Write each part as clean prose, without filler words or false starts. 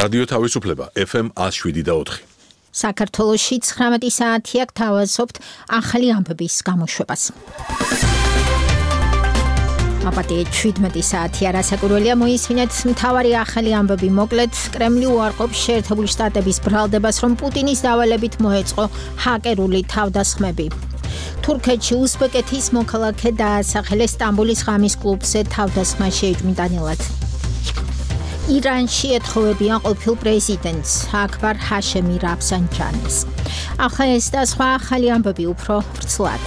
რადიო თავისუფლება FM 107.4. საქართველოში 19 საათია გთავაზობთ ახალი ამბების გამოშვებას. აბატე 17 საათია რასაკვირველია მოისმინეთ მთავარი ახალი ამბები მოკლედ კრემლი უარყოფს შეერთებული შტატების ბრალდებას რომ პუტინის დავალებით მოეწყო ჰაკერული თავდასხმები. თურქეთში უზბეკეთის მოქალაქე დაასახელეს სტამბოლის ღამის კლუბზე თავდასხმა შეიჭმიტანილად. ირანში ეთხოვებიან ყოფილ პრეზიდენტს აკბარ ჰაშემი რაფსანჯანის. ახლა ეს და სხვა ახალი ამბები უფრო ვრცლად.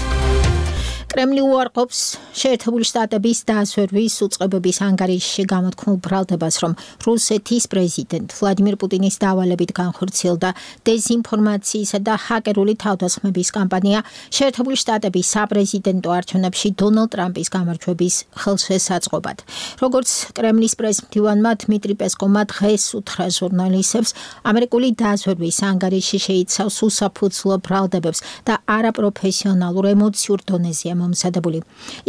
კრემლი უარყოფს შეერთებული შტატების დაზვერვის უწყებების ანგარიშში გამოთქმულ ბრალდებას, რომ რუსეთის პრეზიდენტ ვლადიმირ პუტინის დავალებით განხორციელდა დეზინფორმაციისა და ჰაკერული თავდასხმების კამპანია შეერთებული შტატების საპრეზიდენტო არჩევნებში დონალდ ტრამპის გამარჯვების ხელშესაწყობად. როგორც კრემლის პრესმდივანმა დმიტრი პესკოვმა დღეს უთხრა ჟურნალისტებს, ამერიკული დაზვერვის ანგარიში შეიცავს უსაფუძვლო ბრალდებებს და არაპროფესიონალურ ემოციურ დონეზეა მომზადებული.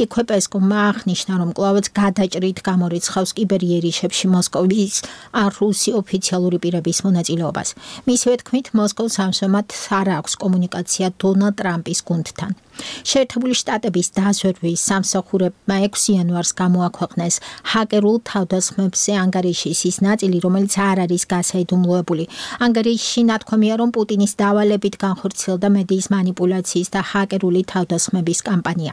იქვე პესკოვმა აღნიშნა, რომ კვლავაც გადაჭრით გამორიცხავს კიბერიერიშებში მოსკოვის ან რუსი ოფიციალური პირების მონაწილეობას. მისივე თქმით, მოსკოვს ამჟამად არ აქვს კომუნიკაცია დონალდ ტრამპის გუნდთან. შეერთებული შტატების დაზვერვის სამსახურებმა 6 იანვარს გამოაქვეყნეს ჰაკერულ თავდასხმებზე ანგარიშის ის ნაწილი, რომელიც არ არის გასაიდუმლოებული. ანგარიშში ნათქვამია, რომ პუტინის დავალებით განხორციელდა მედიის მანიპულაციის და ჰაკერული თავდასხმების კამპანია.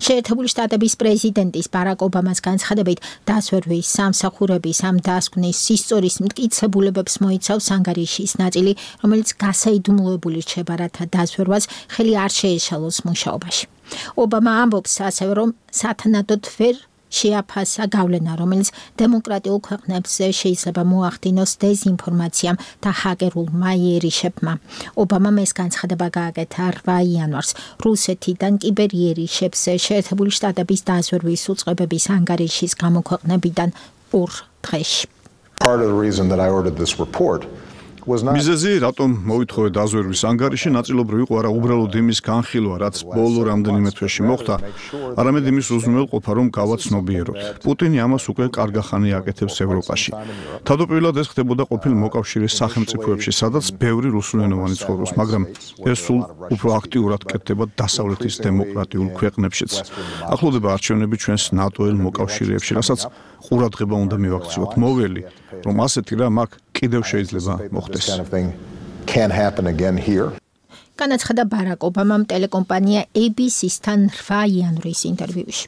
შეერთებული შტატების პრეზიდენტის ბარაკ ობამას განცხადებით, დაზვერვის სამსახურების ამ დასკვნის ისტორიის მტკიცებულებებს მოიცავს ანგარიშის ნაწილი, რომელიც გასაიდუმლოებული რჩება, რათა დაზვერვას ხელი არ შეეშალოს მუშაობაში. ობამა ამბობს ასევე, რომ სათანადოდ ვერ შეაფასა გავლენა, რომელიც დემოკრატიულ ქვეყნებზე შეიძლება მოახდინოს დეზინფორმაციამ და ჰაკერულმა იერიშებმა. ობამამ ეს განცხადება გააკეთა 8 იანვარს რუსეთიდან კიბერიერიშებზე შეერთებული შტატების დაზვერვის უწყებების ანგარიშის გამოქვეყნებიდან 2 დღეში. Part of the reason that I ordered this report მიზეზი, რატომ მოვითხოვე დაზვერვის ანგარიში, ნაწილობრივ იყო არა უბრალოდ იმის განხილვა, რაც ბოლო რამდენიმე თვეში მოხდა, არამედ იმის უზრუნველყოფა, რომ გავაცნობიეროთ. პუტინი ამას უკვე კარგახანი აკეთებს ევროპაში. თავდაპირველად ეს ხდებოდა ყოფილ მოკავშირის სახელმწიფოებში, სადაც ბევრი რუსულენოვანი ცხოვრობს, მაგრამ ეს სულ უფრო აქტიურად კეთდება დასავლეთის დემოკრატიულ ქვეყნებშიც. ახლოვდება არჩევნები ჩვენს ნატოელ მოკავშირეებში, რასაც ყურადღება უნდა მივაქციოთ. მოველი, რომ ასეთი რამ აქ კიდევ შეიძლება მოხდეს. განაცხადა ბარაკ ობამამ ტელეკომპანია ABC-თან 8 იანვრის ინტერვიუში.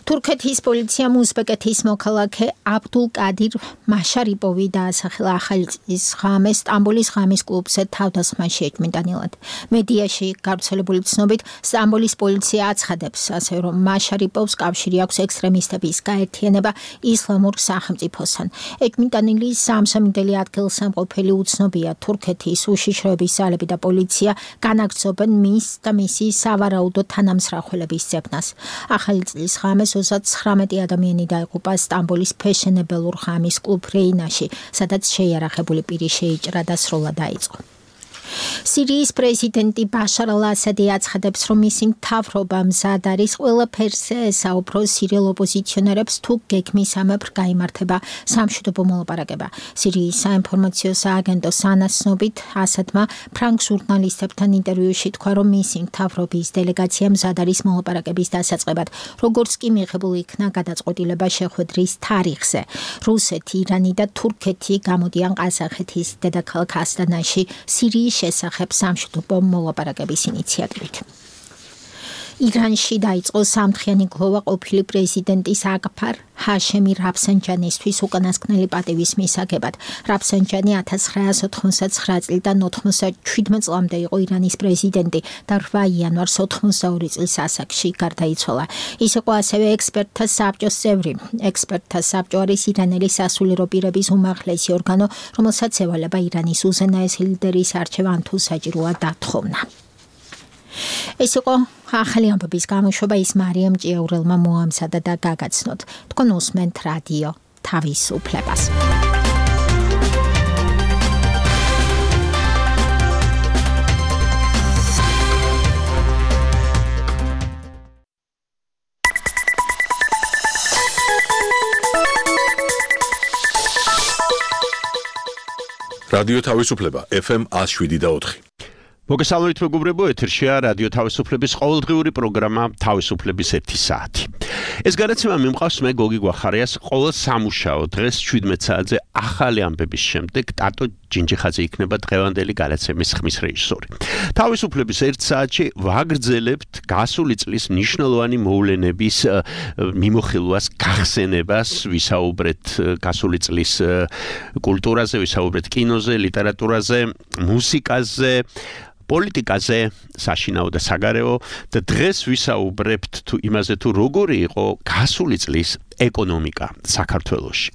თურქეთის პოლიციამ უზბეკეთის მოქალაქე აბდულ კადირ მაშარიპოვი დაასახელა ახალი წლის ღამეს სტამბოლის ღამის კლუბზე თავდასხმა შეიჭმიტანილად. მედიაში გავრცელებული ცნობით, სტამბოლის პოლიცია აცხადებს, ასე რომ მაშარიპოვს კავშირი აქვს ექსტრემისტების გაერთიანება ისლამურ სახელმწიფოსთან. ეჭმიტანილი სამსამიდელი ადგილსამყოფელი უცნობია. თურქეთის უშიშროების ძალები და პოლიცია განაგრძობენ მის და მისი სავარაუდო თანამსახველების ძებნას. ახალი წლის ღამეს 39 ადამიანი დაიღუპა სტამბოლის ფეშენებელურ ღამის კლუბ რეინაში, სადაც შეიარაღებული პირი შეიჭრა და სროლა დაიწყო. სირიის პრეზიდენტი ბაშარ ალ-ასადი აცხადებს, რომ მისი მთავრობა მზად არის ყველაფერზე ესაუბრო სირიელ ოპოზიციონერებს თუ გეგმისამებრ გაიმართება სამშვიდობო მოლაპარაკება. სირიის საინფორმაციო სააგენტოს ანაცნობით ასადმა ფრანგ ჟურნალისტებთან ინტერვიუში თქვა, რომ მისი მთავრობის დელეგაცია მზად არის მოლაპარაკების დასაწყებად, როგორც კი მიღებულ იქნა გადაწყვეტილება შეხვედრის თარიღზე. რუსეთი, ირანი და თურქეთი გამოდიან ყაზახეთის დედაქალაქ ასტანაში სირიის შესახებ სამშვიდობო მოლაპარაკების ინიციატივით. ირანში დაიწყო სამთხიანი გლოვა ყოფილი პრეზიდენტის აკბარ ჰაშემი რაფსანჯანისთვის უკანასკნელი პატივის მისაგებად. რაფსანჯანი 1989 წლიდან 97 წლამდე იყო ირანის პრეზიდენტი და 8 იანვარს 92 წლის ასაკში გარდაიცვალა. ის იყო ასევე ექსპერტთა საბჭოს წევრი. ექსპერტთა საბჭო არის ირანელი სასულიერო პირების უმაღლესი ორგანო, რომელსაც ევალება ირანის უზენაესი ლიდერის არჩევა თუ საჭიროა დათხოვნა. ეს იყო ახალი ამბების გამოშვება, ის მარიამ ჭიაურელმა მოამზადა და გაგაცნოთ. თქვენ უსმენთ რადიო თავისუფლებას. რადიო თავისუფლება FM 107.4. მოგესალმებით მეგობრებო, ეთერშია რადიო თავისუფლების ყოველდღიური პროგრამა თავისუფლების 1 საათი. ეს განაცემა მიმყავს მე გოგი გვახარიას ყოველ სამუშაო დღეს 17 საათზე ახალი ამბების შემდეგ ტატო ჯინჯიხაძე იქნება დღევანდელი განაცემის ხმის რეჟისორი. თავისუფლების 1 საათში ვაგრძელებთ გასული წლის მნიშვნელოვანი მოვლენების მიმოხილვას, გახსენებას, ვისაუბრეთ გასული წლის კულტურაზე, ვისაუბრეთ კინოზე, ლიტერატურაზე, მუსიკაზე, პოლიტიკაზე, საშინაო და საგარეო და დღეს ვისაუბრებთ იმაზე თუ როგორი იყო გასული წლის ეკონომიკა საქართველოში.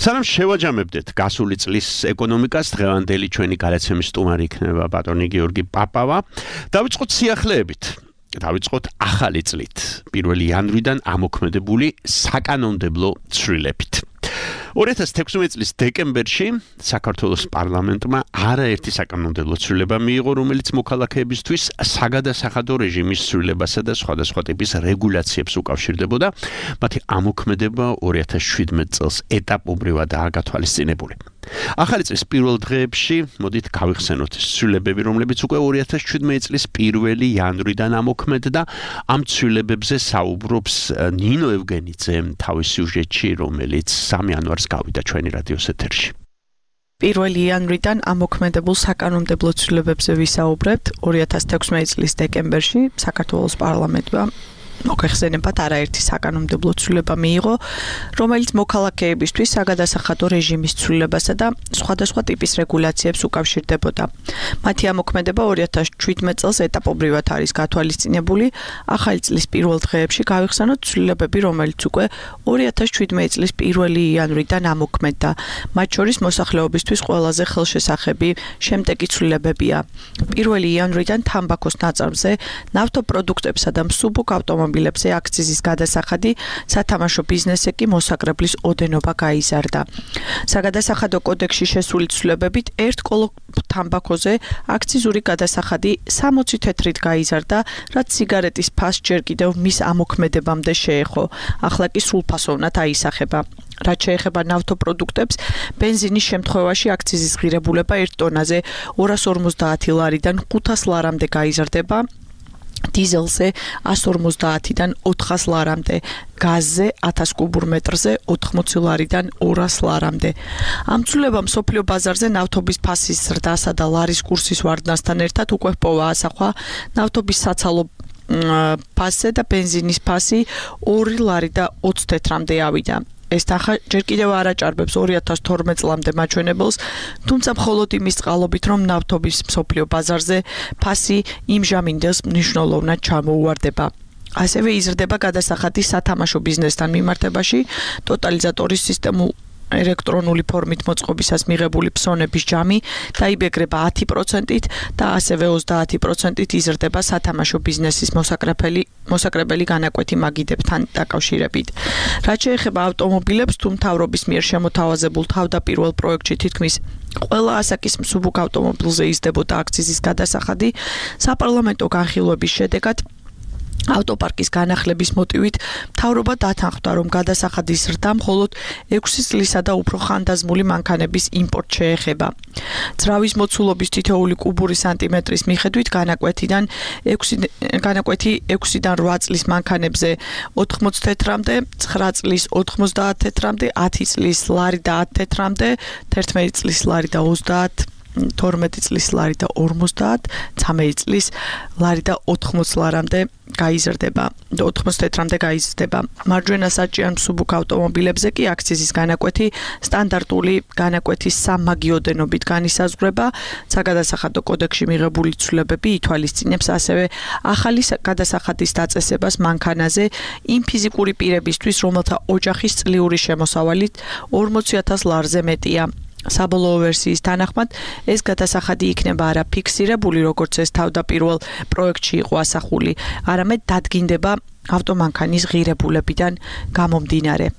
სანამ შევაჯამებდეთ გასული წლის ეკონომიკას, დღევანდელი ჩვენი განაცემის სტუმარი იქნება ბატონი გიორგი პაპავა. დავიწყოთ სიახლეებით. დავიწყოთ ახალი წლით, 1 იანვრიდან ამოქმედებული საკანონმდებლო ცვლილებით. 2016 წლის დეკემბერში საქართველოს პარლამენტმა არაერთი საკანონმდებლო ცვლილება მიიღო, რომელიც მოქალაქეებისთვის საგადასახადო რეჟიმის ცვლილებასა და სხვადასხვა ტიპის რეგულაციებს უკავშირდებოდა. მათი ამოქმედება 2017 წელს ეტაპობრივადაა გათვალისწინებული. ახალი წლის პირველ დღეებში მოდით გავიხსენოთ ცვლილებები, რომლებიც უკვე 2017 წლის 1 იანვრიდან ამოქმედდა. ამ ცვლილებებზე საუბრობს ნინო ევგენიძე თავის სიუჟეტში, რომელიც 3 იანვარს გავიდა ჩვენი რადიოს ეთერში. 1 იანვრიდან ამოქმედებულ საკანონმდებლო ცვლილებებზე ვისაუბრებთ. 2016 წლის დეკემბერში საქართველოს პარლამენტმა მოგეხსენებათ არაერთი საკანონმდებლო ცვლილება მიიღო, რომელიც მოქალაქეებისთვის საგადასახადო რეჟიმის ცვლილებასა და სხვადასხვა ტიპის რეგულაციებს უკავშირდებოდა. მათი ამოქმედება 2017 წელს ეტაპობრივად არის გათვალისწინებული. ახალი წლის პირველ დღეებში გავიხსენოთ ცვლილებები, რომელიც უკვე 2017 წლის 1 იანვრიდან ამოქმედდა. მათ შორის მოსახლეობისთვის ყველაზე ხელშესახები შემდეგი ცვლილებებია. 1 იანვრიდან თამბაქოს ნაწარმზე, ნავთობპროდუქტებსა და მსუბუქ ავტომობილებზე აქციზის გადასახადი, სათამაშო ბიზნესზე კი მოსაკრებლის ოდენობა გაიზარდა. საგადასახადო კოდექსში შესული ცვლილებებით ერთ კოლო თამბაქოზე აქციზური გადასახადი 60 თეთრით გაიზარდა, რაც სიგარეტის ფასს ჯერ კიდევ მის ამოქმედებამდე შეეხო. ახლა კი სრულფასოვნად აისახება. რაც შეეხება ნავთობპროდუქტებს, ბენზინის შემთხვევაში აქციზის ღირებულება 1 ტონაზე 250 ლარიდან 500 ლარამდე გაიზარდება. დიზელზე 150-დან 400 ლარამდე, გაზზე 1000 კუბურ მეტრზე 80 ლარიდან 200 ლარამდე. ამ ცვლილებამ მსოფლიო ბაზარზე ნავთობის ფასის ზრდასა და ლარის კურსის ვარდნასთან ერთად უკვე ჰპოვა ასახვა ნავთობის საცალო ფასზე და ბენზინის ფასი 2 ლარი და 20 თეთრამდე ავიდა. ეს თანხა ჯერ კიდევ არ აჭარბებს 2012 წლამდე მაჩვენებელს, თუმცა მხოლოდ იმის წყალობით, რომ ნავთობის მსოფლიო ბაზარზე ფასი იმ ჟამინდელს მნიშვნელოვნად ჩამოუვარდება. ასევე იზრდება გადასახადი სათამაშო ბიზნესთან მიმართებაში, ტოტალიზატორის სისტემულ ელექტრონული ფორმით მოწყობისას მიღებული ფსონების ჯამი დაიბეგრება 10%-ით და ასევე 30%-ით იზრდება სათამაშო ბიზნესის მოსაკრებელი განაკვეთი მაგიდებთან დაკავშირებით. რაც შეეხება ავტომობილებს, თუ მთავრობის მიერ შემოთავაზებულ თავდაპირველ პროექტში თითქმის ყველა ასაკის მსუბუქ ავტომობილზე იზრდებოდა აქციზის გადასახადი, საპარლამენტო განხილვების შედეგად ავტოპარკის განახლების მოტივით მთავრობა დათანხმდა, რომ გადასახადის ზრდა მხოლოდ 6 წლისა და უფრო ხანდაზმული მანქანების იმპორტს შეეხება. ძრავის მოცულობის თითოეული კუბური სანტიმეტრის მიხედვით განაკვეთიდან 6-დან 8 წლის მანქანებზე 80 თეთრამდე, 9 წლის 90 თეთრამდე, 10 წლის ლარი და 10 თეთრამდე, 11 წლის ლარი და 30, 12 წლის ლარი და 50, 13 წლის ლარი და 80 ლარამდე გაიზრდება, 80 თეთრამდე გაიზრდება. მარჯვენა საჭიერ მსუბუქ ავტომობილებზე კი აქციზის განაკვეთი სტანდარტული განაკვეთის სამაგიოდენობით განისაზღვრება. საგადასახადო კოდექსში მიღებული ცვლილებები ითვალისწინებს ასევე ახალი გადასახადის დაწესებას მანქანაზე იმ ფიზიკური პირებისთვის, რომელთა ოჯახის წლიური შემოსავალით 40,000 ლარზე მეტია. საბოლოო ვერსიის თანახმად ეს გადასახადი იქნება არა ფიქსირებული, როგორც ეს თავდაპირველ პროექტში იყო ასახული, არამედ დადგინდება ავტომანქანის ღირებულებიდან გამომდინარე.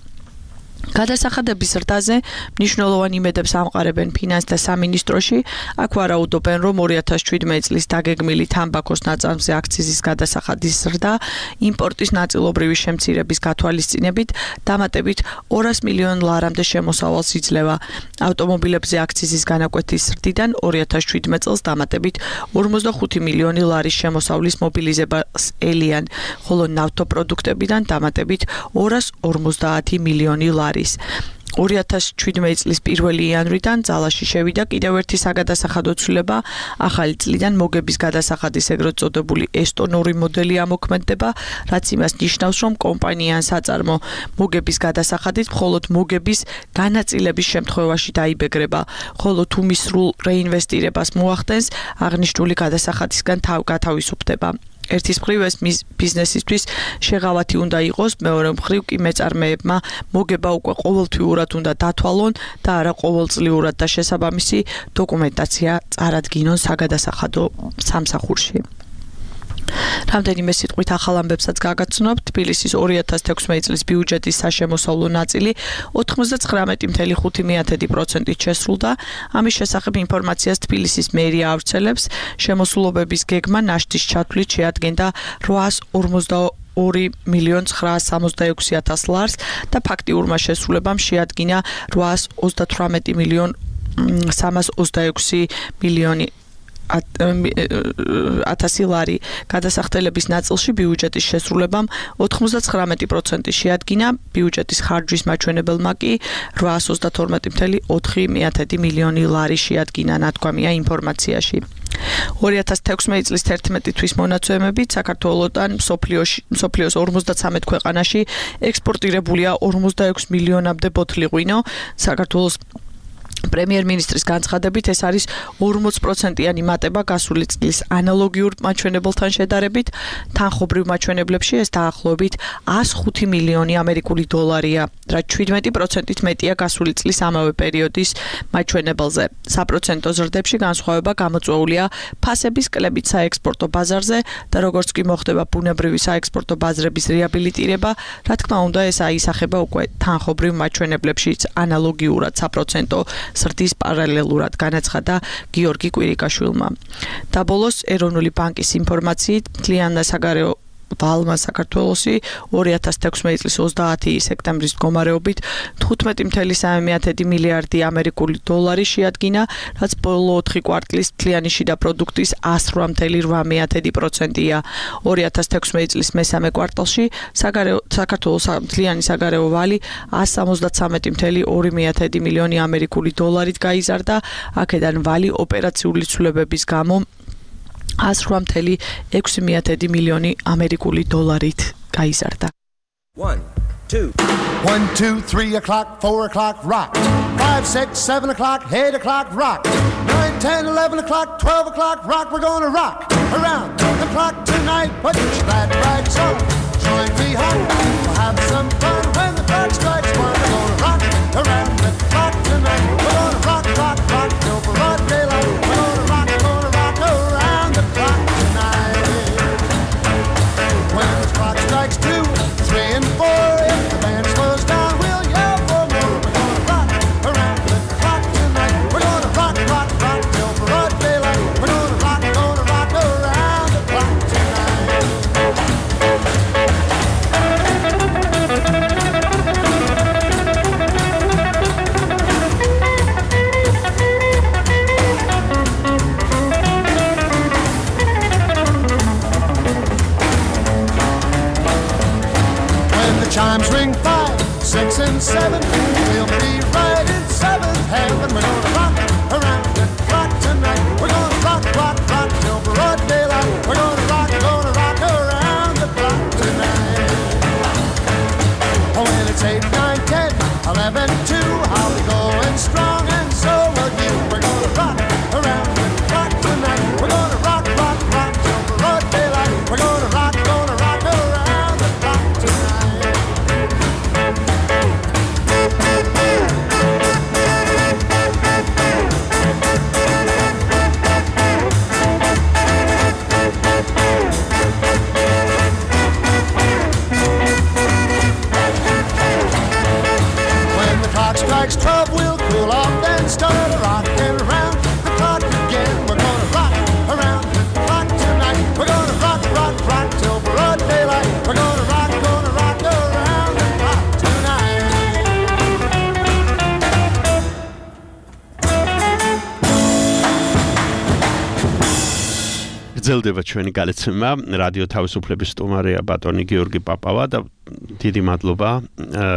გადასახადების ზრდაზე მნიშვნელოვანი იმედებს ამყარებენ ფინანსთა სამინისტროში. აქ ვარაუდობენ, რომ 2017 წლის დაგეგმილი თამბაქოს ნაწარმზე აქციზის გადასახადის ზრდა იმპორტის ნაწილობრივი შემცირების გათვალისწინებით დამატებით 200 მილიონ ლარამდე შემოსავალს იძლევა. ავტომობილებზე აქციზის განაკვეთის ზრდიდან 2017 წელს დამატებით 45 მილიონი ლარის შემოსავლის მობილიზებას ელიან, ხოლო ნავთობპროდუქტებიდან დამატებით 250 მილიონი ლარი. 2017 წლის 1 იანვრიდან ძალაში შევიდა კიდევ ერთი საგადასახადო ცვლილება. ახალი წლიდან მოგების გადასახადის ეგრეთ წოდებული ესტონური მოდელი ამოქმედდება, რაც იმას ნიშნავს, რომ კომპანია ან საწარმო მოგების გადასახადით მხოლოდ მოგების განაწილების შემთხვევაში დაიბეგრება, ხოლო თუ მის სრულ რეინვესტირებას მოახდენს, აღნიშნული გადასახადისგან გათავისუფლდება. ერთის მხრივ ეს ბიზნესისთვის შეღავათი უნდა იყოს, მეორე მხრივ კი მეწარმეებმა მოგება უკვე ყოველთვიურად უნდა დათვალონ და არა ყოველწლიურად და შესაბამისი დოკუმენტაცია წარადგინონ საგადასახადო სამსახურში. რამდენიმე სიტყვით ახალ ამბებსაც გაგაცნობთ. თბილისის 2016 წლის ბიუჯეტის საშემოსავლო ნაწილი 99.5%-ით შესრულდა. ამის შესახებ ინფორმაციას თბილისის მერია ავრცელებს. შემოსულობების გეგმა ნაშთის ჩათვლით შეადგენდა 822.966.000 ლარს და ფაქტიურმა შესრულებამ შეადგინა 838.326.000 1000 ლარი. გადასახდელების ნაწილში ბიუჯეტის შესრულებამ 99% შეადგინა, ბიუჯეტის ხარჯვის მაჩვენებელმა კი 832.4 მილიონი ლარი შეადგინა, ნათქვამია ინფორმაციაში. 2016 წლის 11 თვის მონაცემებით საქართველოსთან მსოფლიოს 53 ქვეყანაში ექსპორტირებულია 46 მილიონამდე ბოთლი ღვინო. საქართველოს პრემიერ-მინისტრის განცხადებით ეს არის 40%-იანი მატება გასული წლის ანალოგიურ მაჩვენებელთან შედარებით. თანხობრივ მაჩვენებლებში ეს დაახლოებით 105 მილიონი ამერიკული დოლარია, რაც 17%-ით მეტია გასული წლის ამავე პერიოდის მაჩვენებელზე. საპროცენტო ზრდებში განსხვავება გამოწვეულია ფასების კლებით საექსპორტო ბაზარზე და როგორც კი მოხდება ბუნებრივი საექსპორტო ბაზრების რეაბილიტირება, რა თქმა უნდა ეს აისახება უკვე თანხობრივ მაჩვენებლებშიც ანალოგიურად საპროცენტო ზრდის პარალელურად, განაცხადა გიორგი კვირიკაშვილმა. და ბოლოს ეროვნული ბანკის ინფორმაციით მთლიანი საგარეო ვალმა საქართველოსი 2016 წლის 30 სექტემბრის მდგომარეობით 15.3 მილიარდი ამერიკული დოლარი შეადგინა, რაც ბოლო 4 კვარტლის მთლიანი შიდა პროდუქტის 108.8%-ია. 2016 წლის მესამე კვარტალში საქართველოს მთლიანი საგარეო ვალი 173.2 მილიონი ამერიკული დოლარით გაიზარდა, აქედან ვალი ოპერაციული ცვლილებების გამო 108.6 მილიონი ამერიკული დოლარით გაიზარდა. 1, 2, 3 o'clock, 4 o'clock, rock. 5, 6, 7 o'clock, 8 o'clock, rock. 9, 10, 11 o'clock, 12 o'clock, rock. We're gonna rock around the clock tonight. Put your glad rags on, join me home. We'll have some fun when the clock strikes 1. We're gonna rock around the clock tonight. We're gonna rock, rock, rock till broad daylight. We're gonna rock around the clock tonight. When the clock strikes 2, 3, and 4, if the band slows down, we'll yell for more. We're gonna rock around the clock tonight. We're gonna rock, rock, rock till broad daylight. We're gonna rock around the clock tonight. Chimes ring 5, 6, and 7. We'll be right in 7th heaven. We're gonna rock around the clock tonight. We're gonna rock, rock, rock till broad daylight. We're gonna rock around the clock tonight. Oh, when it's 8, 9, 10, 11, 2, I'll be going strong and so will you. We're gonna rock around the clock tonight. We're gonna rock, rock, rock till broad daylight. We're gonna rock around the clock tonight. გრძელდება ჩვენი გადაცემა რადიო თავისუფლების სტუმარია ბატონი გიორგი პაპავა და დიდი მადლობა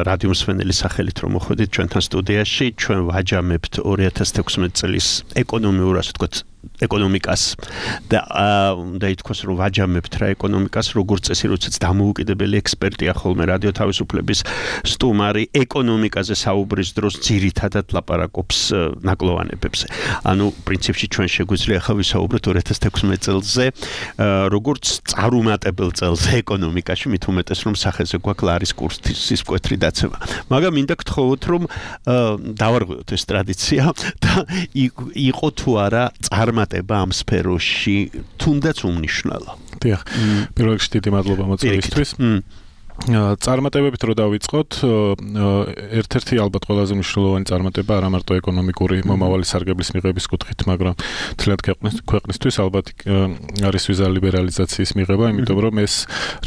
რადიო მსმენელის სახელით რომ მოხვედით ჩვენთან სტუდიაში ჩვენ ვაჯამებთ 2016 წლის ეკონომიურ ასე ვთქვათ ეკონომიკას და უნდა ითქვას რომ ვაჯამებთ რა ეკონომიკას როგორც წესი როდესაც დამოუკიდებელი ექსპერტია ხოლმე რადიო თავისუფლების სტუმარი ეკონომიკაზე საუბრის დროს ძირითადად ლაპარაკობს ნაკლოვანებებზე ანუ პრინციპში ჩვენ შეგვიძლია ახლა ვისაუბროთ 2016 წელზე როგორც წარუმატებელ წელზე ეკონომიკაში მით უმეტეს რომ სახეზე გვაქვს ლარის კურსის მკვეთრი დაცემა მაგრამ მინდა გთხოვოთ რომ დავარღვიოთ ეს ტრადიცია და იყო თუ არა წარმატება ამ სფეროში თუნდაც უმნიშვნელო. დიახ. პირველ რიგში დიდი მადლობა მოწვევისთვის. წარმატებებით რო დავიწყოთ, ერთ-ერთი ალბათ ყველაზე მნიშვნელოვანი წარმატება არა მარტო ეკონომიკური მომავალი სარგებლის მიღების კუთხით, მაგრამ თლიანად ქვეყნისთვის ალბათ არის ვიზა ლიბერალიზაციის მიღება, იმიტომ რომ ეს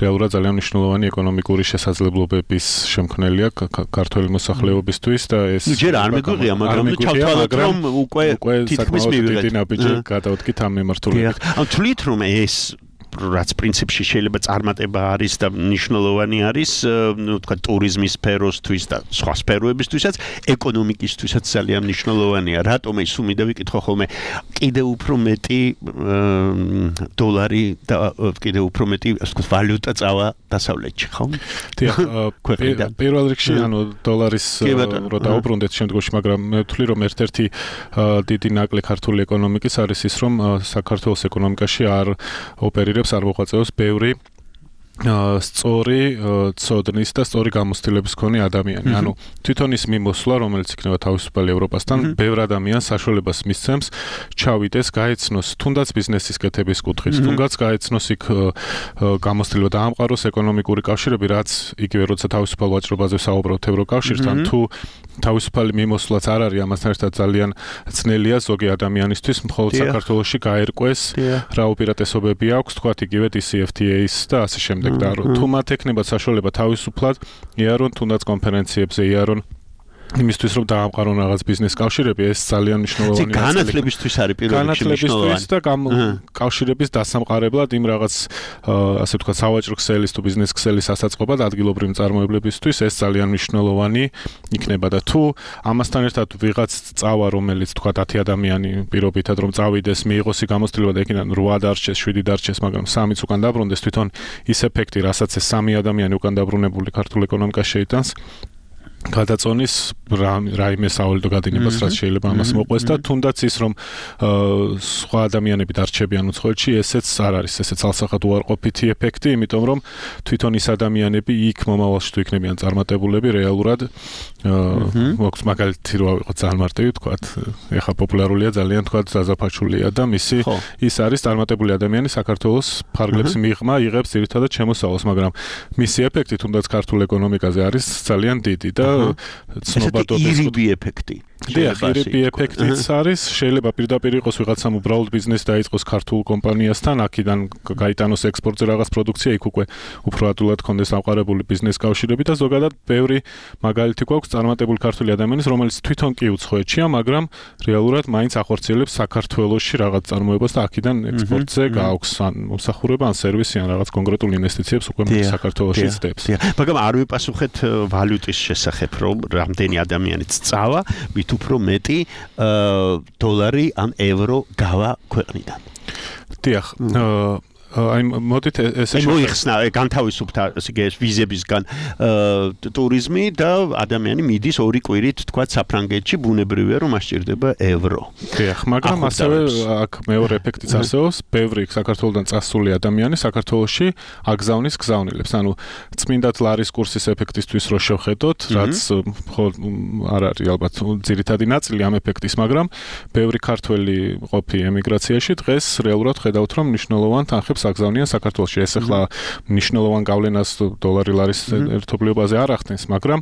რეალურად ძალიან მნიშვნელოვანი ეკონომიკური შესაძლებლობების შემქმნელია ქართული მოსახლეობისთვის და ეს ჯერ არ მეგვიღია, მაგრამ ჩავთვალოთ რომ უკვე თითქმის მივიღეთ. დიდი ნაბიჯი გადავდგით ამ მიმართულებით. ან თვლით რომ ეს რაც პრინციპში შეიძლება წარმატება არის და მნიშვნელოვანი არის, ნუ თქვა ტურიზმის სფეროსთვის და სხვა სფეროებისთვისაც, ეკონომიკისთვისაც ძალიან მნიშვნელოვანია. რატომ ეს უმიდა ვიკითხო ხოლმე, კიდევ უფრო მეტი დოლარი და კიდევ უფრო მეტი, ასე ვთქვათ, ვალუტა წავა დასავლეთში, ხო? დიახ, პირველ რიგში, ანუ დოლარის რო დაუბრუნდეთ შემდგომში, მაგრამ მე ვთვლი რომ ერთ-ერთი დიდი ნაკლი ქართული ეკონომიკის არის ის, რომ საქართველოს ეკონომიკაში არ ოპერირებს არ მოღვაწეობს ბევრი სწორი ცოდნის და სწორი გამოცდილების მქონე ადამიანი. ანუ თვითონ ის მიმოსვლა, რომელიც იქნება თავისუფალი ევროპასთან, ბევრ ადამიანს საშუალებას მისცემს ჩავიდეს, გაეცნოს თუნდაც ბიზნესის კეთების კუთხით, თუნდაც გაეცნოს იქ გამოცდილება დაამყაროს ეკონომიკური კავშირები, რაც იგივე როცა თავისუფალ ვაჭრობაზე საუბრობთ ევროკავშირთან, თუ თავისუფალი მიმოსვლაც არ არის, ამასთან ერთად ძალიან ძნელია ზოგი ადამიანისთვის, მხოლოდ საქართველოში გაერკვეს რა უპირატესობები აქვს, თქვათ იგივე DCFTA-ის და ასე შემდეგ. და თუ მათ ექნება საშუალება თავისუფლად იარონ თუნდაც კონფერენციებზე იარონ იმისთვის რომ დაამყარონ რაღაც ბიზნეს კავშირები ეს ძალიან მნიშვნელოვანია. განათლებისთვის არის პირველ რიგში მნიშვნელოვანი. და კავშირების დასამყარებლად იმ რაღაც ასე ვთქვათ სავაჭრო ქსელის თუ ბიზნეს ქსელის ასაწყობად ადგილობრივი მწარმოებლებისთვის ეს ძალიან მნიშვნელოვანი იქნება და თუ ამასთან ერთად ვიღაც წავა რომელიც ვთქვათ 10 ადამიანი პირობითად რომ წავიდეს მიიღოს გამოცდილება და იქიდან 8 დარჩეს 7 დარჩეს მაგრამ 3-ც უკან დაბრუნდეს თვითონ ის ეფექტი რასაც ეს 3 ადამიანი უკან დაბრუნებული ქართულ ეკონომიკაში შეიტანს გადაწონის რაიმე სავალიდო გადინებას რაც შეიძლება ამას მოყვეს და თუნდაც ის რომ სხვა ადამიანები დარჩებიან უცხოეთში ესეც არ არის ესეც ალსახად უარყოფითი ეფექტი იმიტომ რომ თვითონ ის ადამიანები იქ მომავალში თუ იქნებიან წარმატებულები რეალურად მოგვს მაგალითი რო ავიღოთ ძალიან მარტივი თქვათ ეხა პოპულარულია ძალიან თქვათ ზაზაფაჩულია და მისი ის არის წარმატებული ადამიანი საქართველოს ფარგლებს მიღმა იღებს ძირითადად შემოსავალს მაგრამ მისი ეფექტი თუნდაც ქართულ ეკონომიკაზე არის ძალიან დიდი და ცნობადობის ირიბი ეფექტი. დიახ, ირიბი ეფექტიც არის, შეიძლება პირდაპირ იყოს ვიღაცამ უბრალოდ ბიზნესი დაიწყოს ქართულ კომპანიასთან, აქედან გაიტანოს ექსპორტზე რაღაც პროდუქცია, იქ უკვე უფრო ადვილად კონდეს ამყარებული ბიზნეს კავშირები და ზოგადად ბევრი მაგალითი გვაქვს წარმატებული ქართული ადამიანის, რომელიც თვითონ კი უცხოეთშია, მაგრამ რეალურად მაინც ახორციელებს საქართველოში რაღაც წარმოებას და აქედან ექსპორტზე გააქვს ან მომსახურება, ან სერვისი, ან რაღაც კონკრეტულ ინვესტიციებს უკვე საქართველოში ძდებს. მაგრამ არ ვიპასუხეთ ვალუტის შესახებ, რომ რამდენი ადამიანიც წავა, მით უფრო მეტი დოლარი ან ევრო გავა ქვეყნიდან. დიახ, აი მოდით ესე მოიხსნა განთავისუფლდა ეს ვიზებისგან ტურიზმი და ადამიანი მიდის 2 კვირით თქვა საფრანგეთში ბუნებრივია რომ ასჭირდება ევრო. დიახ, მაგრამ ასევე აქ მეორე ეფექტიც არსებობს, ბევრი საქართველოდან წასული ადამიანი საქართველოში აგზავნის გზავნილებს. ანუ წმინდად ლარის კურსის ეფექტისთვის რო შევხედოთ, რაც არ არის ალბათ ძირითადი ნაწილი ამ ეფექტის, მაგრამ ბევრი ქართველი ყოფი ემიგრაციაში დღეს რეალურად ხედავთ რომ მნიშვნელოვან თანხებს აგზავნიან საქართველოში. ეს ახლა მნიშვნელოვან გავლენას დოლარი ლარის ერთობლიობაზე არ ახდენს, მაგრამ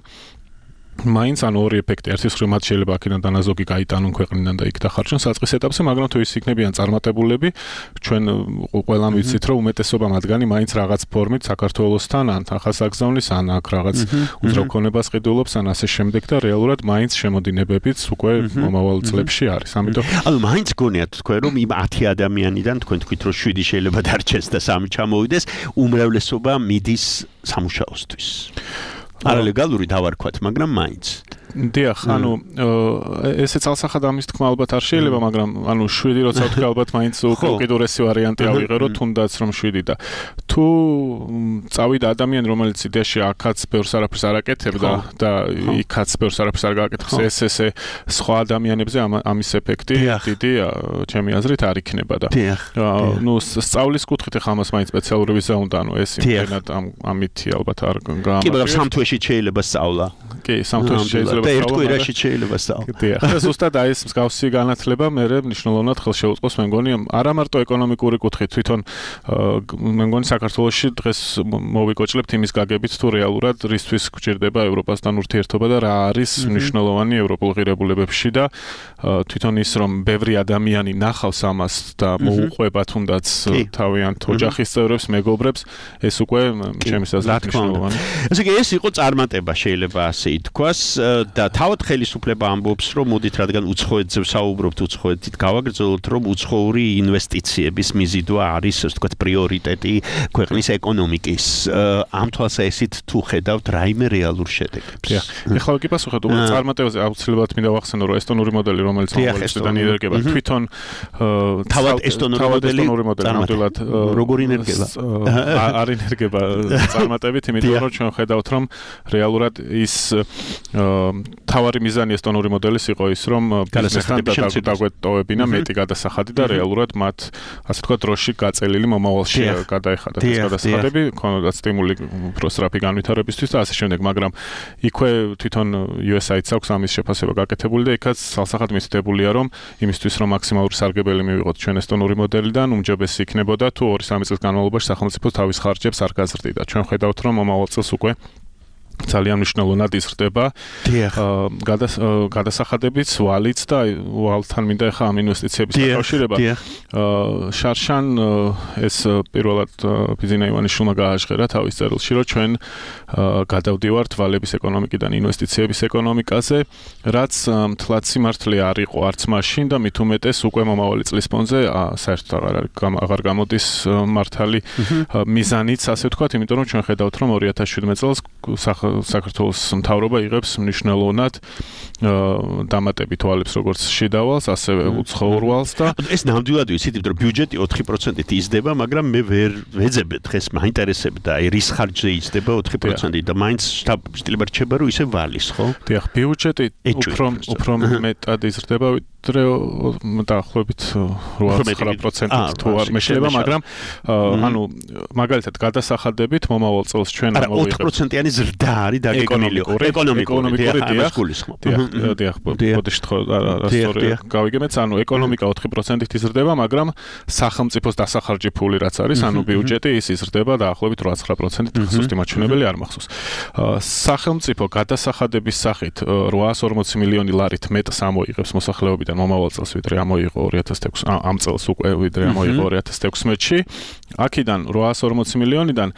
მაინც ან ორი ეფექტი ერთის მხრივ მათ შეიძლება აქედან დანაზოგი გაიტანონ ქვეყნიდან და იქ დახარჯონ საწყის ეტაპზე, მაგრამ თუ ის იქნებიან წარმატებულები, ჩვენ ყველამ ვიცით, რომ უმეტესობა მათგანი მაინც რაღაც ფორმით საქართველოსთან ან ახალსაგზავნის ან აქ რაღაც უძრავქონებას ყიდულობს ან ასე შემდეგ და რეალურად მაინც შემოდინებებიც უკვე მომავალ წლებში არის. ამიტომ ანუ მაინც გონიათ თქვენ რომ იმ 10 ადამიანიდან თქვენ თქვით რომ 7 შეიძლება დარჩეს და 3 ჩამოვიდეს, უმრავლესობა მიდის სამუშაოსთვის. არალეგალური დავარქვათ, მაგრამ მაინც. დიახ, ანუ ესე წალსახად ამის თქმა ალბათ არ შეიძლება, მაგრამ ანუ 7 როცა ვთქვი ალბათ მაინც უკიდურესი ვარიანტი ავიღერო, თუნდაც რომ 7 და თუ წავიდა ადამიანი, რომელიც იდეაში აქაც ბევრს არაფერს არ აკეთებდა და იქაც ბევრს არაფერს არ გააკეთებს, ესე სხვა ადამიანებზე ამის ეფექტი დიდია, ჩემი აზრით არ იქნება და ნუ სწავლის კუთხით ახლა ამას მაინც სპეციალური ვიზა უნდა, ანუ ეს იმენად ამითი ალბათ არ გამარჯვება. კი, მაგრამ სამთვეში შეიძლება სწავლა. კი, სამთვეში შეიძლება და ერთ კვირაში შეიძლება სწავლა. დიახ, ეს ზუსტად აი ეს მსგავსი განათლება მე მნიშვნელოვნად ხელს შეუწყობს, მე მგონი, არა მარტო ეკონომიკური კუთხით, თვითონ მე მგონი საქართველოში დღეს მოვიკოჭლებთ იმის გაგებით, თუ რეალურად რისთვის გვჭირდება ევროპასთან ურთიერთობა და რა არის მნიშვნელოვანი ევროპულ ღირებულებებში და თვითონ ის რომ ბევრი ადამიანი ნახავს ამას და მოუყვება თუნდაც თავიანთ ოჯახის წევრებს, მეგობრებს, ეს უკვე ჩემს აზრით მნიშვნელოვანია. ესე იგი ეს იყო წარმატება შეიძლება ასე ითქვას და თავად ხელისუფლება ამბობს რომ მოდით რადგან უცხოეთზე ვსაუბრობთ, უცხოეთით გავაგრძელოთ, რომ უცხოური ინვესტიციების მიზიდვა არის ასე ვთქვათ პრიორიტეტი ქვეყნის ეკონომიკის. ამ თვალსაზრისით თუ ხედავთ რაიმე რეალურ შედეგებს. ეხლა კი პასუხად უბრალოდ წარმატებაზე აუცილებლად მინდა ვახსენო რომ ესტონური მოდელი რომელიც მომავალიდან იერგება თვითონ თავად ესტონური მოდელი ნამდვილად როგორ ინერგება არ ინერგება წარმატებით, იმიტომ რომ ჩვენ ხედავთ რომ რეალურად ის თავარი მიზანი ესტონური მოდელის იყო ის რომ ბიზნესთან დაგვეტოვებინა მეტი გადასახადი და რეალურად მათ ასე ვთქვათ დროში გაწელილი მომავალში გადაეხადათ ეს გადასახადები, ქონოდათ სტიმული უფრო სწრაფი განვითარებისთვის და ასე შემდეგ, მაგრამ იქვე თვითონ USAID-ს აქვს ამის შეფასება გაკეთებული და იქაც სალსახად მისდებულია რომ იმისთვის რომ მაქსიმალური სარგებელი მივიღოთ ჩვენ ესტონური მოდელიდან, უმჯობესი იქნებოდა თუ 2-3 წლის განმავლობაში სახელმწიფო თავის ხარჯებს არ გაზრდიდა. ჩვენ ხედავთ რომ მომავალ წელს უკვე ძალიან მნიშვნელოვნად იზრდება გადასახადებიც, ვალიც და ვალთან მინდა ახლა ამ ინვესტიციების დაკავშირება. შარშან ეს პირველად ბიზინა ივანიშვილმა გააჟღერა თავის წერილში, რომ ჩვენ გადავდივართ ვალების ეკონომიკიდან ინვესტიციების ეკონომიკაზე, რაც მთლად სიმართლე არ იყო არც მაშინ და მით უმეტეს უკვე მომავალი წლის ფონზე საერთოდ აღარ გამოდის მართალი მიზანიც, ასე ვთქვათ, იმიტომ რომ ჩვენ ხედავთ რომ 2017 წელს საქართველოს მთავრობა იღებს მნიშვნელოვნად დამატებით ვალებს როგორც შიდა ვალს, ასევე უცხოურ ვალს და ეს ნამდვილად ვიცით, რომ ბიუჯეტი 4%-ით იზრდება, მაგრამ მე ვერ ვეძებთ დღეს მაინტერესებდა, აი რის ხარჯზე იზრდება 4%-ით და მაინც შეიძლება რჩება რომ ისე ვალის, ხო? დიახ, ბიუჯეტი უფრო მეტად იზრდება, ვიდრე დაახლოებით 8-9%-ით თუ არ მეშლება, მაგრამ ანუ მაგალითად გადასახადებით მომავალ წელს ჩვენ ამოვიღებთ 4%-იანი ზრდა არის დაგეგმილი ეკონომიკური დიახ, ბოდიშ ხო რასტორია გავიგებთ, ანუ ეკონომიკა 4%-ით იზრდება, მაგრამ სახელმწიფოს დასახარჯი ფული რაც არის, ანუ ბიუჯეტი ის იზრდება დაახლოებით 8-9%-ით, სუსტი მაჩვენებელი არ მახსოვს. სახელმწიფო გადასახადების სახით 840 მილიონი ლარით მეტს ამოიღებს მოსახლეობიდან მომავალ წელს, ვიდრე ამოიღო 2006 ამ წელს უკვე ვიდრე ამოიღო 2016-ში. აქედან 840 მილიონიდან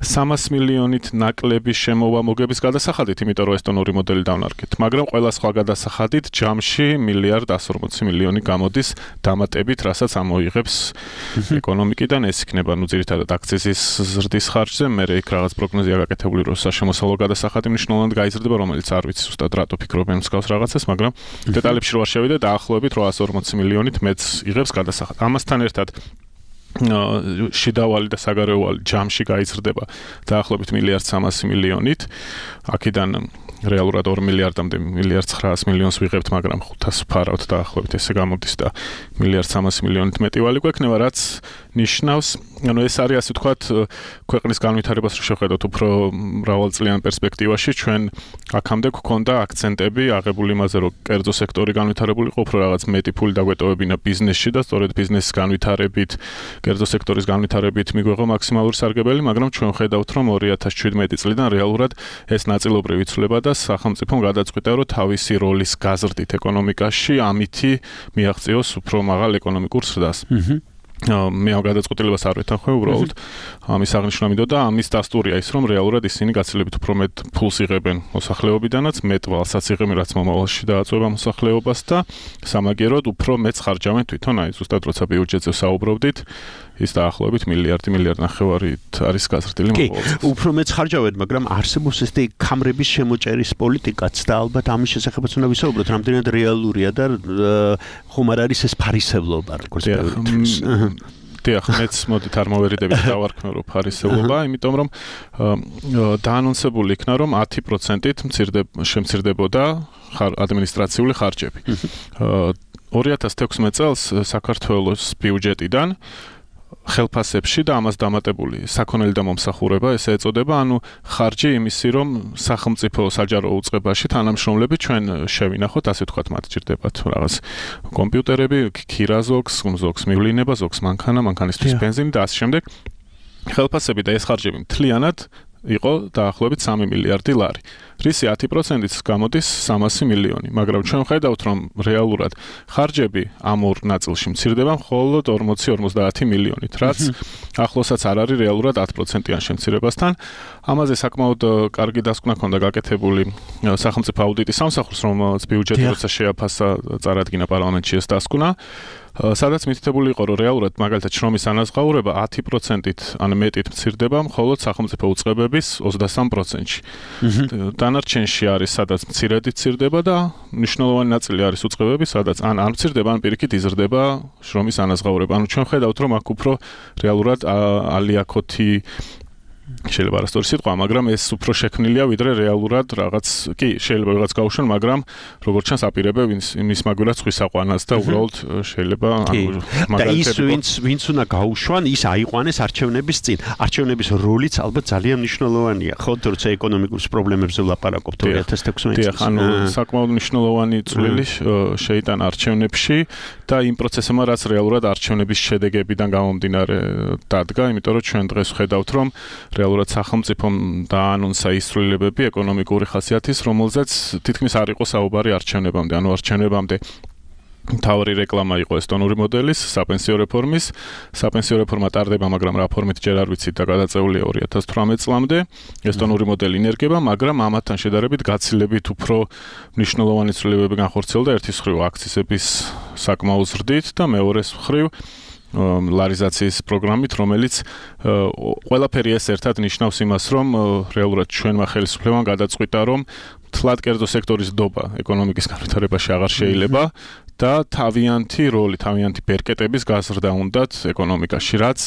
300 მილიონით ნაკლები შემოვამოგების გადასახადით, იმიტომ რომ ესტონური მოდელი დავნარგეთ, მაგრამ ყველა სხვა გადასახადით ჯამში 1.140 მილიონი გამოდის დამატებით, რასაც ამოიღებს ეკონომიკიდან, ეს იქნება ნუ ძირითადად აქციზის ზრდის ხარჯზე, მე იქ რაღაც პროგნოზია გაკეთებული, რომ საშემოსავლო გადასახადი მნიშვნელოვნად გაიზრდება, რომელიც არ ვიცი ზუსტად რატო ფიქრობენ მსგავს რაღაცას, მაგრამ დეტალებში რო არ შევიდე, დაახლოებით 840 მილიონით მეც იღებს გადასახადი. ამასთან ერთად შიდავალი და საგარეოვალი ჯამში გაიზრდება დაახლოებით 1.300 მილიონით. აქედან რეალურად 2 მილიარდამდე 1.900 მილიონს ვიღებთ, მაგრამ 500 ფარავთ დაახლოებით ესე გამოდის და 1.300 მილიონით მეტი ვალი გვექნება, რაც ნიშნავს ანუ ეს არის ასე ვთქვათ ქვეყნის განვითარებას რო შევხედოთ უფრო მრავალწლიან პერსპექტივაში ჩვენ აქამდე გვქონდა აქცენტები აღებული იმაზე რომ კერძო სექტორი განვითარებული იყო უფრო რაღაც მეტი ფული დაგვეტოვებინა ბიზნესში და სწორედ ბიზნესის განვითარებით კერძო სექტორის განვითარებით მიგვეღო მაქსიმალური სარგებელი მაგრამ ჩვენ ხედავთ რომ 2017 წლიდან რეალურად ეს ნაწილობრივ იცვლება და სახელმწიფომ გადაწყვიტა რომ თავისი როლის გაზრდით ეკონომიკაში ამითი მიაღწიოს უფრო მაღალ ეკონომიკურ ზრდას. მე ამ გადაწყვეტილებას არ ვეთანხმე უბრალოდ ამის აღნიშვნა მინდოდა და ამის დასტურია ის რომ რეალურად ისინი გაცილებით უფრო მეტ ფულს იღებენ მოსახლეობიდანაც მეტ ვალსაც იღებენ რაც მომავალში დააწვევა მოსახლეობას და სამაგიეროდ უფრო მეც ხარჯავენ თვითონ აი ზუსტად როცა ბიუჯეტზე საუბრობდით ის დაახლოებით მილიარდ ნახევარით არის გაზრდილი მომავალში. უფრო მეც ხარჯავენ, მაგრამ არსებობს ესეთი კამრების შემოჭერის პოლიტიკაც და ალბათ ამის შესახებაც უნდა ვისაუბროთ, რამდენად რეალურია და ხომ არ არის ეს ფარისევლობა, როგორც ბევრი. დიახ, მეც მოდით არ მოვერიდებით დავარქმევ რომ ფარისევლობა, იმიტომ რომ დაანონსებული იქნა რომ 10%-ით შემცირდებოდა ადმინისტრაციული ხარჯები. 2016 წელს საქართველოს ბიუჯეტიდან ხელფასებში და ამას დამატებული საქონელი და მომსახურება ესე ეწოდება, ანუ ხარჯი იმისი რომ სახელმწიფო საჯარო უწყებაში თანამშრომლები ჩვენ შევინახოთ, ასე ვთქვათ, მათ ჭირდებათ რაღაც კომპიუტერები, ქირა ზოგს მივლინება, ზოგს მანქანისთვის ბენზინი და ასე შემდეგ. ხელფასები და ეს ხარჯები მთლიანად იყო დაახლოებით 3 მილიარდი ლარი. რისი 10%-იც გამოდის 300 მილიონი, მაგრამ ჩვენ ხედავთ რომ რეალურად ხარჯები ამ ორ ნაწილში მცირდება მხოლოდ 40-50 მილიონით, რაც ახლოსაც არ არის რეალურად 10%-იან შემცირებასთან. ამაზე საკმაოდ კარგი დასკვნა ჰქონდა გაკეთებული სახელმწიფო აუდიტის სამსახურს, რომელსაც ბიუჯეტი როცა შეაფასა წარადგინა პარლამენტში ეს დასკვნა. სადაც მითითებული იყო რომ რეალურად მაგალითად შრომის ანაზღაურება 10%-ით ან მეტით მცირდება მხოლოდ სახელმწიფო უწყებების 23%-ში. დანარჩენში არის სადაც მცირედი მცირდება და მნიშვნელოვანი ნაწილი არის უწყებები, სადაც ან არ მცირდება, ან პირიქით იზრდება შრომის ანაზღაურება. ანუ ჩვენ ხედავთ რომ აქ უფრო რეალურად ალიაქოთი შეიძლება არასწორი სიტყვა, მაგრამ ეს უფრო შექმნილია ვიდრე რეალურად რაღაც, კი, შეიძლება რაღაც გაუშვან, მაგრამ როგორც ჩანს აპირებენ იმის მაგალითად ხვის აყვანას და უბრალოდ შეიძლება მაგალითად ის ვინც უნდა გაუშვან, ის აიყვანეს არჩევნების წინ. არჩევნების როლიც ალბათ ძალიან მნიშვნელოვანია, ხო, როცა ეკონომიკურ პრობლემებზე ვლაპარაკობთ 2016 წელს. დიახ, ანუ საკმაოდ მნიშვნელოვანი წვლილი შეიტანა არჩევნებში და იმ პროცესებმა, რაც რეალურად არჩევნების შედეგებიდან გამომდინარე დადგა, იმიტომ რომ ჩვენ დღეს ვხედავთ, რომ რეალურად სახელმწიფომ დაანონსა ის ცვლილებები ეკონომიკური ხასიათის, რომელზეც თითქმის არ იყო საუბარი არჩევნებამდე. ანუ არჩევნებამდე მთავარი რეკლამა იყო ესტონური მოდელის, საპენსიო რეფორმის. საპენსიო რეფორმა ტარდება, მაგრამ რა ფორმით ჯერ არ ვიცით და გადაწეულია 2018 წლამდე. ესტონური მოდელი ინერგება, მაგრამ ამათთან შედარებით გაცილებით უფრო მნიშვნელოვანი ცვლილებები განხორციელდა ერთის მხრივ აქციზების საკმაო ზრდით და მეორეს მხრივ ლარიზაციის პროგრამით, რომელიც ყველაფერი ეს ერთად ნიშნავს იმას, რომ რეალურად ჩვენმა ხელისუფლებამ გადაწყვიტა, რომ თლად კერძო სექტორის დობა ეკონომიკის განვითარებაში აღარ შეიძლება და თავიანთი როლი, თავიანთი ბერკეტების გაზრდა უნდათ ეკონომიკაში, რაც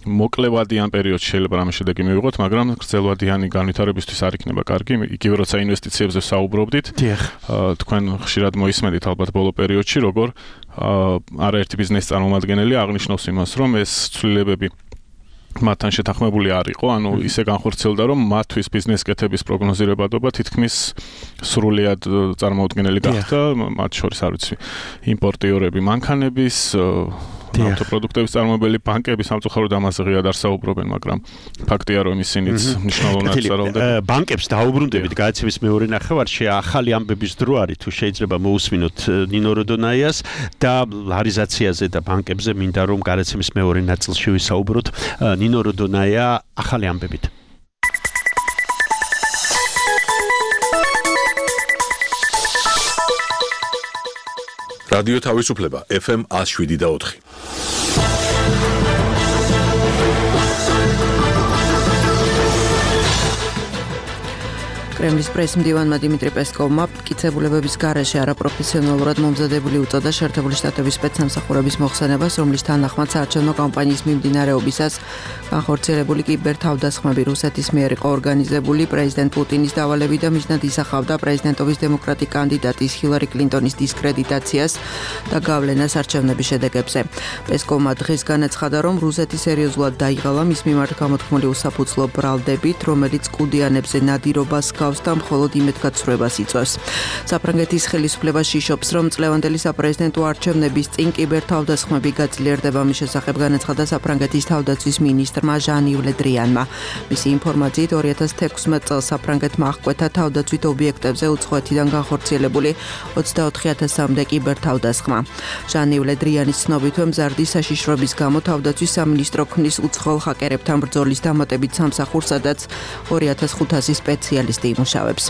მოკლევადიან პერიოდში შეიძლება რამე შედეგი მივიღოთ, მაგრამ გრძელვადიანი განვითარებისთვის არ იქნება კარგი. იგივე როცა ინვესტიციებზე საუბრობდით, თქვენ ხშირად მოისმენთ ალბათ ბოლო პერიოდში, როგორ არაერთი ბიზნესის წარმომადგენელი აღნიშნავს იმას, რომ ეს ცვლილებები მათთან შეთანხმებული არ იყო, ანუ ისე განხორციელდა, რომ მათთვის ბიზნეს კეთების პროგნოზირებადობა თითქმის სრულიად წარმოუდგენელი გახდა, მათ შორის არ ვიცი, იმპორტიორები მანქანების, ავტოპროდუქტების წარმოებელი ბანკები სამწუხაროდ ამაზე ღიად არ საუბრობენ, მაგრამ ფაქტია, რომ ისინიც მნიშვნელოვნად წარმოუდგენელია. ბანკებს დაუბრუნდებით გააცემის მეორე ნახევარში, ახალი ამბების დრო არის, თუ შეიძლება მოусმინოთ ნინო როდონაიას და ლარიზაციაზე და ბანკებზე მინდა რომ გააცემის მეორე ნაწილში ვისაუბროთ. ნინო როდონაია ახალი ამბებით. რადიო თავისუფლება FM 107.4. კრემლის პრესმდივანმა დიმიტრი პესკოვმა მტკიცებულებების გარეშე არაპროფესიონალურად მომზადებული უწოდა შეერთებული შტატების სპეცსამსახურების მოხსენებას, რომლის თანახმად საარჩევნო კამპანიის მიმდინარეობისას განხორციელებული კიბერთავდასხმები რუსეთის მიერ იყო ორგანიზებული, პრეზიდენტ პუტინის დავალებით და მიზნად ისახავდა პრეზიდენტობის დემოკრატი კანდიდატის ჰილარი კლინტონის დისკრედიტაციას და გავლენას არჩევნების შედეგებზე. პესკოვმა დღეს განაცხადა, რომ რუსეთი სერიოზულად დაიღალა მის მიმართ გამოთქმული უსაფუძვლო ბრალდებით, რომელიც კუდიანებზე ნადირობას გავს და მხოლოდ იმედგაცრუებას იწვევს. საფრანგეთის ხელისუფლება შიშობს, რომ წლევანდელი საპრეზიდენტო არჩევნების წინ კიბერთავდასხმები გაძლიერდება. მის შესახებ განაცხადა საფრანგეთის თავდაცვის მინისტრმა ჟან-იվ ლე დრიანმა. მისი ინფორმაციით 2016 წელს საფრანგეთმა აღკვეთა თავდაცვით ობიექტებზე უცხოეთიდან განხორციელებული 24,000-მდე კიბერთავდასხმა. ჟან-იվ ლე დრიანის ცნობითვე მზარდი საშიშროების გამო თავდაცვის სამინისტრო ქმნის უცხოელ ჰაკერებთან ბრძოლის დამატებით სამსახურს, სადაც 2500 სპეციალისტი იმუშავებს.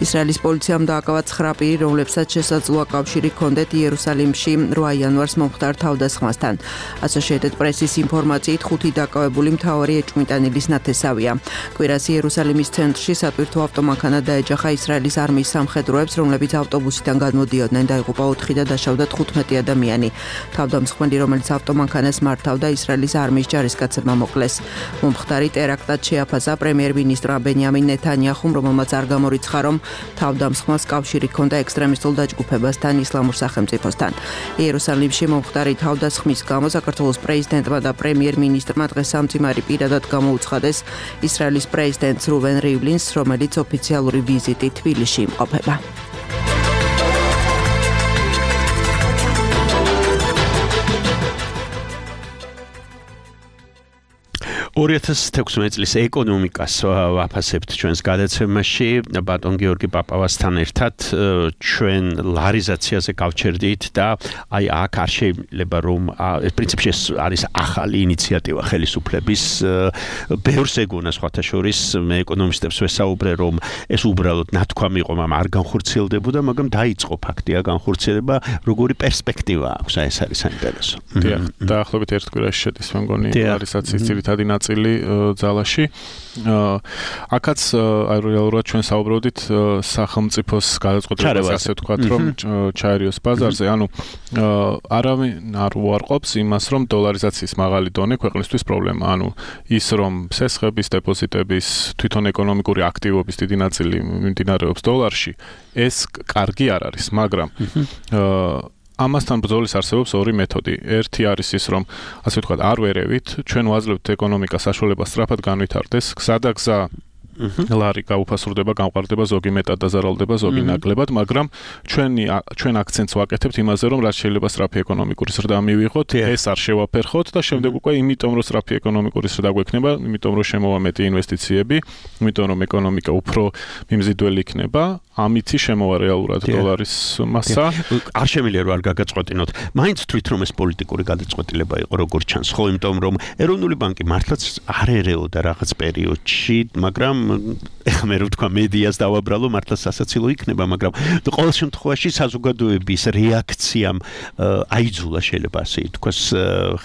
ისრაელის პოლიციამ დააკავა 9 პირი, რომლებსაც შესაძლოა კავშირი ჰქონდეთ იერუსალიმში 8 იანვარს მომხდარ თავდასხმასთან. Associated Press-ის ინფორმაციით 5 დაკავებული მთავარი ეჭვმიტანილის ნათესავია. კვირას იერუსალიმის ცენტრში სატვირთო ავტომანქანა დაეჯახა ისრაელის არმიის სამხედროებს, რომლებიც ავტობუსიდან გადმოდიოდნენ, დაიღუპა 4 და დაშავდა 15 ადამიანი. თავდამსხმელი, რომელიც ავტომანქანას მართავდა, ისრაელის არმიის ჯარისკაცებმა მოკლეს. მომხდარი ტერაქტად შეაფასა პრემიერ-მინისტრმა ბენიამინ ნეთანიაჰუმ, რომელმაც არ გამორიცხა, რომ თავდამსხმელს კავშირი ჰქონდა ექსტრემისტულ დაჯგუფებასთან, ისლამურ სახელმწიფოსთან. იერუსალიმში მომხდარი თავდასხმის გამო საქართველოს პრეზიდენტმა და პრემიერ-მინისტრმა დღეს სამძიმარი პირადად გამოუცხადეს ისრაელის პრეზიდენტს რუვენ რივლინს, რომელიც ოფიციალური ვიზიტით თბილისში იმყოფება. 2016 წლის ეკონომიკას ვაფასებთ ჩვენს გადაცემაში ბატონ გიორგი პაპავასთან ერთად ჩვენ ლარიზაციაზე გავჩერდით და აი აქ არ შეიძლება რომ პრინციპში ეს არის ახალი ინიციატივა ხელისუფლების ბევრს ეგონა სხვათა შორის მე ეკონომისტებს ვესაუბრე რომ ეს უბრალოდ ნათქვამი იყო მაგრამ არ განხორციელდებოდა მაგრამ დაიწყო ფაქტია განხორციელება როგორი პერსპექტივა აქვს ეს არის საინტერესო დაახლოებით ერთ კვირაში შედის მე მგონი ლარიზაციის ძირითადი ნაწილი ძალაში აქაც რეალურად ჩვენ საუბრობდით სახელმწიფოს გადაწყვეტილებას ასე ვთქვათ რომ ჩაერიოს ბაზარზე ანუ არავინ არ უარყოფს იმას რომ დოლარიზაციის მაღალი დონე ქვეყნისთვის პრობლემა ანუ ის რომ სესხების დეპოზიტების თვითონ ეკონომიკური აქტივობის დიდი ნაწილი მიმდინარეობს დოლარში ეს კარგი არ არის მაგრამ ამასთან ბრძოლის არსებობს ორი მეთოდი. ერთი არის ის, რომ ასე ვთქვათ, არ ვერევით, ჩვენ ვაძლევთ ეკონომიკას საშუალებას სწრაფად განვითარდეს, გზა და გზა ლარი გაუფასურდება, გამყარდება, ზოგი მეტად დაზარალდება, ზოგი ნაკლებად, მაგრამ ჩვენ აქცენტს ვაკეთებთ იმაზე, რომ რაც შეიძლება სწრაფი ეკონომიკური ზრდა მივიღოთ, ეს არ შევაფერხოთ და შემდეგ უკვე იმიტომ რომ სწრაფი ეკონომიკური ზრდა გვექნება, იმიტომ რომ შემოვა მეტი ინვესტიციები, იმიტომ რომ ეკონომიკა უფრო მიმზიდველი იქნება, ამითი შემოვა რეალურად დოლარის მასა. არ შემიძლია რომ არ გაგაწყვეტინოთ. მაინც თვით რომ ეს პოლიტიკური გადაწყვეტილება იყო როგორც ჩანს, ხო, იმიტომ რომ ეროვნული ბანკი მართლაც არ ერეოდა რაღაც პერიოდში, მაგრამ ეხლა მე რო ვთქვა მედიას დავაბრალო მართლა სასაცილო იქნება მაგრამ ყოველ შემთხვევაში საზოგადოების რეაქციამ აიძულა შეიძლება ასე ითქვას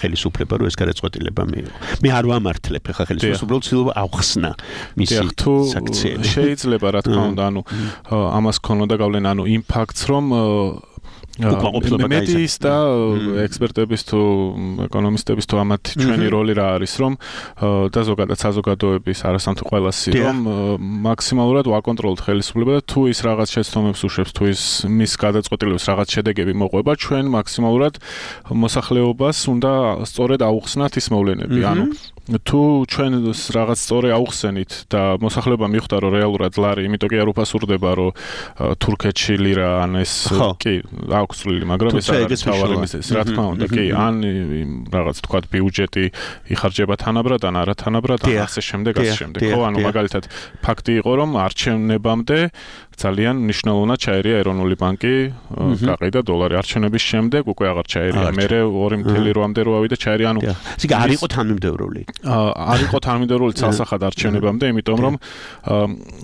ხელისუფლება რომ ეს გადაწყვეტილება მიიღო მე არ ვამართლებ ეხლა ხელისუფლებას უბრალოდ ცდილობა ავხსნა მისი საქციელი შეიძლება რა თქმა უნდა ანუ ამას ქონოდა გავლენა ანუ იმ ფაქტს რომ მედიის და ექსპერტების თუ ეკონომისტების თუ ამათ ჩვენი როლი რა არის რომ და ზოგადად საზოგადოების არასამთავრობო ყველასი რომ მაქსიმალურად ვაკონტროლოთ ხელისუფლება და თუ ის რაღაც შეცდომებს უშვებს თუ ის მის გადაწყვეტილებას რაღაც შედეგები მოყვება ჩვენ მაქსიმალურად მოსახლეობას უნდა სწორედ აუხსნათ ის მოვლენები ანუ თუ ჩვენ რაღაც სწორი აუხსენით და მოსახლეობა მიხვდა რომ რეალურად ლარი იმიტომ კი არ უფასურდება რომ თურქეთში ლირა ან ეს კი აქვს წვლილი მაგრამ ეს არის თავარი მიზეზი რა თქმა უნდა კი ან რაღაც თქვა ბიუჯეტი იხარჯება თანაბრად ან არა თანაბრად ან ასე შემდეგ ხო ანუ მაგალითად ფაქტი იყო რომ არჩევნებამდე ძალიან მნიშვნელოვნად ჩაერია ეროვნული ბანკი, გაყიდა დოლარი არჩევნების შემდეგ, უკვე აღარ ჩაერია. მერე 2.8-მდე რო ავიდა ჩაერია, ანუ ისე არ იყო თანმიმდევრული. არ იყო თანმიმდევრული ცალსახად არჩევნებამდე, იმიტომ რომ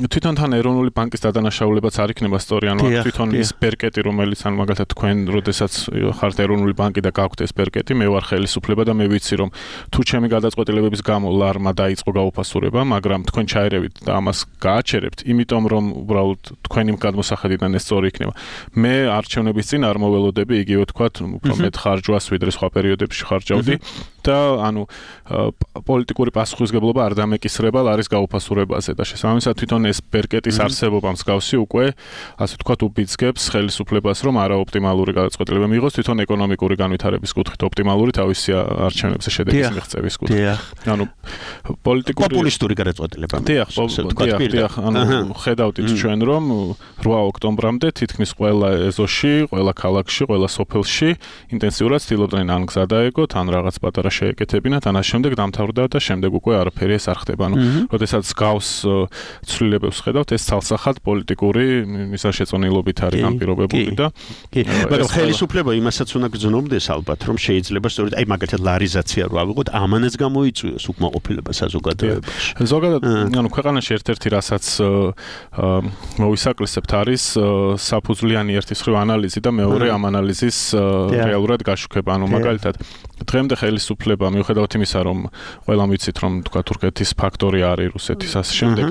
თვითონ თან ეროვნული ბანკის დადანაშაულებაც არ იქნება სწორი, ანუ თვითონ ის ბერკეტი, რომელიც ან მაგალითად თქვენ როდესაც ხართ ეროვნული ბანკი და გაქვთ ეს ბერკეტი, მე ვარ ხელისუფლება და მე ვიცი რომ თუ ჩემი გადაწყვეტილებების გამო ლარმა დაიწყო გაუფასურება, მაგრამ თქვენ ჩაერევით და ამას გააჩერებთ, იმიტომ რომ უბრალოდ თქვენი გადმოსახედიდან ეს სწორი იქნება. მე არჩევნების წინ არ მოველოდები იგივე თქვათ, უფრო მეტ ხარჯვას ვიდრე სხვა პერიოდებში ხარჯავდი და ანუ პოლიტიკური პასუხისგებლობა არ დამეკისრება ლარის გაუფასურებაზე და შესაბამისად თვითონ ეს ბერკეტის არსებობა მსგავსი უკვე ასე თქვათ უბიძგებს ხელისუფლებას რომ არაოპტიმალური გადაწყვეტილება მიიღოს თვითონ ეკონომიკური განვითარების კუთხით ოპტიმალური თავისი არჩევნებზე შედეგის მიღწევის კუთხით. ანუ პოლიტიკური პოპულისტური გადაწყვეტილება. დიახ, ანუ ხედავთ ჩვენ რომ 8 ოქტომბრამდე თითქმის ყველა ეზოში, ყველა ქალაქში, ყველა სოფელში ინტენსიურად ცდილობდნენ ან გზა დაეგოთ, ან რაღაც პატარა შეეკეთებინათ, ან შემდეგ დამთავრდა და შემდეგ უკვე არაფერი ეს არ ხდება. ანუ როდესაც გავს ცვლილებებს ხედავთ, ეს ცალსახად პოლიტიკური მისაშეწონილობით არის ამ პირობებული და მაგრამ ხელისუფლება იმასაც უნდა გრძნობდეს ალბათ, რომ შეიძლება სწორედ აი მაგალითად ლარიზაცია რო ავიღოთ, ამანაც გამოიწვიოს უკმაყოფილება საზოგადოებაში. ზოგადად, ანუ ქვეყანაში ერთ-ერთი რასაც მოვისაკლისებთ არის საფუძვლიანი ერთის მხრივ ანალიზი და მეორე ამ ანალიზის რეალურად გაშუქება. ანუ მაგალითად დღემდე ხელისუფლება მიუხედავად იმისა, რომ ყველამ ვიცით, რომ თქვა თურქეთის ფაქტორი არის რუსეთის ასე შემდეგ,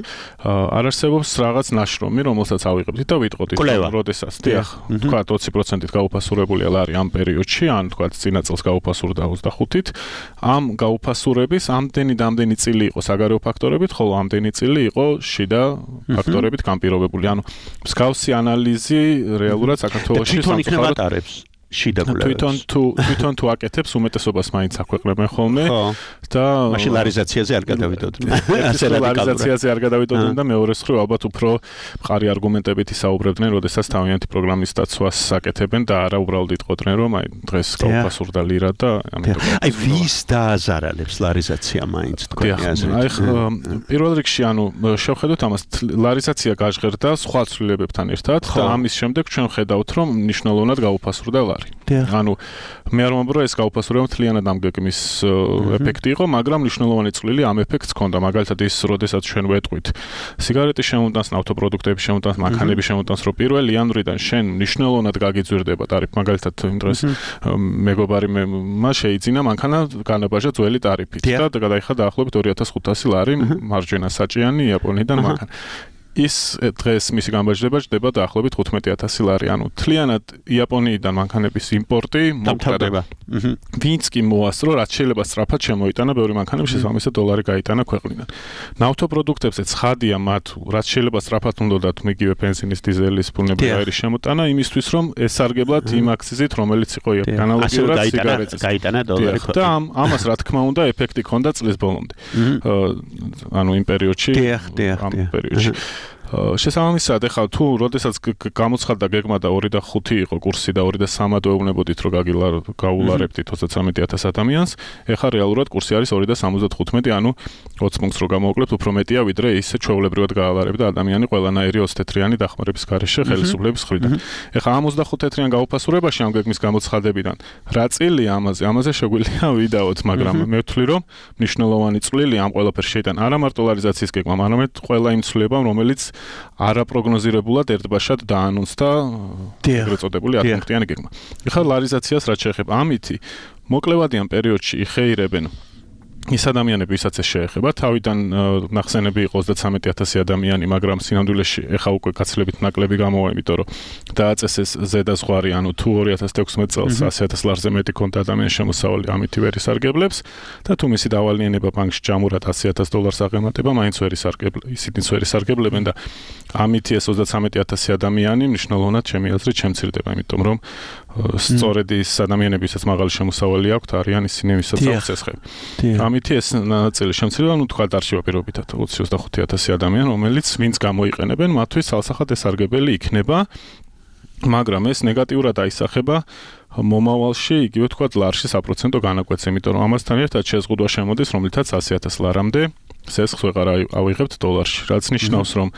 არ არსებობს რაღაც ნაშრომი, რომელსაც ავიღებთ და ვიტყოდით, რომ როდესაც თქვა 20%-ით გაუფასურებულია ლარი ამ პერიოდში, ან თქვა წინა წელს გაუფასურდა 25-ით, ამ გაუფასურების ამდენი და ამდენი წილი იყო საგარეო ფაქტორებით, ხოლო ამდენი წილი იყო შიდა ფაქტორებით განპირობებული. ანუ მსგავსი ანალიზი რეალურად საქართველოში სამწუხაროდ შიდა გულებს. თვითონ თუ აკეთებს უმეტესობას მაინც აქვეყნებენ ხოლმე და მაშინ ლარიზაციაზე არ გადავიდოდნენ. ლარიზაციაზე არ გადავიდოდნენ და მეორე მხრივ ალბათ უფრო მყარი არგუმენტებით ისაუბრებდნენ, როდესაც თავიანთი პროგრამის დაცვას აკეთებენ და არა უბრალოდ იტყოდნენ, რომ აი დღეს გაუფასურდა ლირა და ამიტომ აი ვის დააზარალებს ლარიზაცია მაინც თქვენი აზრით. აი პირველ რიგში ანუ შევხედოთ ამას, ლარიზაცია გაჟღერდა სხვა ცვლილებებთან ერთად და ამის შემდეგ ჩვენ ხედავთ, რომ მნიშვნელოვნად გაუფასურდა ლარი. ანუ მე არ მომბრო ეს გაუფასურება მთლიანად ამ გეგმის ეფექტი იყო, მაგრამ მნიშვნელოვანი წვლილი ამ ეფექტს ჰქონდა. მაგალითად ის, როდესაც ჩვენ ვეტყვით სიგარეტის შემოტანს, ნავთობპროდუქტების შემოტანს, მანქანების შემოტანს, რომ 1 იანვრიდან შენ მნიშვნელოვნად გაგიძვირდება ტარიფი. მაგალითად იმ დროს მეგობარი მე შეიძინა მანქანა განაბაჟა ძველი ტარიფით და გადაიხადა დაახლოებით 2500 ლარი მარჯვენა საჭიანი იაპონიიდან მანქანა. ის დღეს მისი გამბაჟდება ჯდება დაახლოებით 15000 ლარი. ანუ თლიანად იაპონიიდან მანქანების იმპორტი მომხდარა. ვინც კი მოასწრო, რაც შეიძლება სწრაფად შემოიტანა ბევრი მანქანები, შესაბამისად დოლარი გაიტანა ქვეყნიდან. ნავთობპროდუქტებზე ცხადია მათ, რაც შეიძლება სწრაფად უნდათ მიგივე ბენზინის, დიზელის, ბუნებრივი შემოტანა, იმისთვის რომ ესარგებლად იმ აქციზით, რომელიც იყო ანალოგიურად სიგარეტის. გაიტანა დოლარი. და ამას რა თქმა უნდა ეფექტი ჰქონდა წლის ბოლომდე. ანუ იმ პერიოდში, ამ პერიოდში შესაბამისად, ეხლა თუ როდესაც გამოცხადდა გეგმა და 2 და 5 იყო კურსი და 2 და 3-ად ეუბნებოდით, რომ გაულარებდით 23000 ადამიანს, ეხლა რეალურად კურსი არის 2 და 75, ანუ 20 პუნქტს რო გამოვაკლებთ, უფრო მეტია ვიდრე ისე ჩვეულებრივად გაალარებდა ადამიანი ყველანაირი 20 თეთრიანი დახმარების გარეშე ხელისუფლების მხრიდან. ეხლა ამ 25 თეთრიან გაუფასურებაში ამ გეგმის გამოცხადებიდან რა წილი ამაზე შეგვიძლია ვიდაოთ, მაგრამ მე ვთვლი, რომ მნიშვნელოვანი წვლილი ამ ყველაფერში შეიტანა არა მარტო ლარიზაციის გეგმამ, არამედ ყველა იმ ცვლილებამ, რომელიც არაპროგნოზირებულად ერთბაშად დაანონსდა ეგრეთ წოდებული 10 პუნქტიანი გეგმა. ეხლა ლარიზაციას რაც შეეხება, ამითი მოკლევადიან პერიოდში იხეირებენ ის ადამიანები, ვისაც ეს შეეხება, თავიდან ნახსენები იყო 33000 ადამიანი, მაგრამ სინამდვილეში ეხა უკვე გაცილებით ნაკლები გამოვა, იმიტომ რომ დააწესეს ზედა ზღვარი, ანუ თუ 2016 წელს 100000 ლარზე მეტი ქონდა ადამიანის შემოსავალი, ამით ვერ ისარგებლებს და თუ მისი დავალიანება ბანკში ჯამურად 100000 დოლარს აღემატება, მაინც ვერ ისარგებლებს, ისინიც ვერ ისარგებლებენ და ამითი ეს 33000 ადამიანი მნიშვნელოვნად ჩემი აზრით შემცირდება, იმიტომ რომ სწორედ ის ადამიანები, ვისაც მაღალი შემოსავალი აქვთ, არიან ისინი, ვისაც აქვს ცეცხლი. ამითი ეს ნაწილი შემცირდება, ну თქვა დარჩება პირობითად 25000 ადამიანი, რომელიც ვინც გამოიყენებენ, მათთვის სალსახად ესარგებელი იქნება, მაგრამ ეს ნეგატიურად აისახება მომავალში, იგივე თქვა ლარში საპროცენტო განაკვეთს, იმიტომ რომ ამასთან ერთად შეზღუდვა შემოდის, რომლითაც 100000 ლარამდე სესხს ვეღარ ავიღებთ დოლარში, რაც ნიშნავს, რომ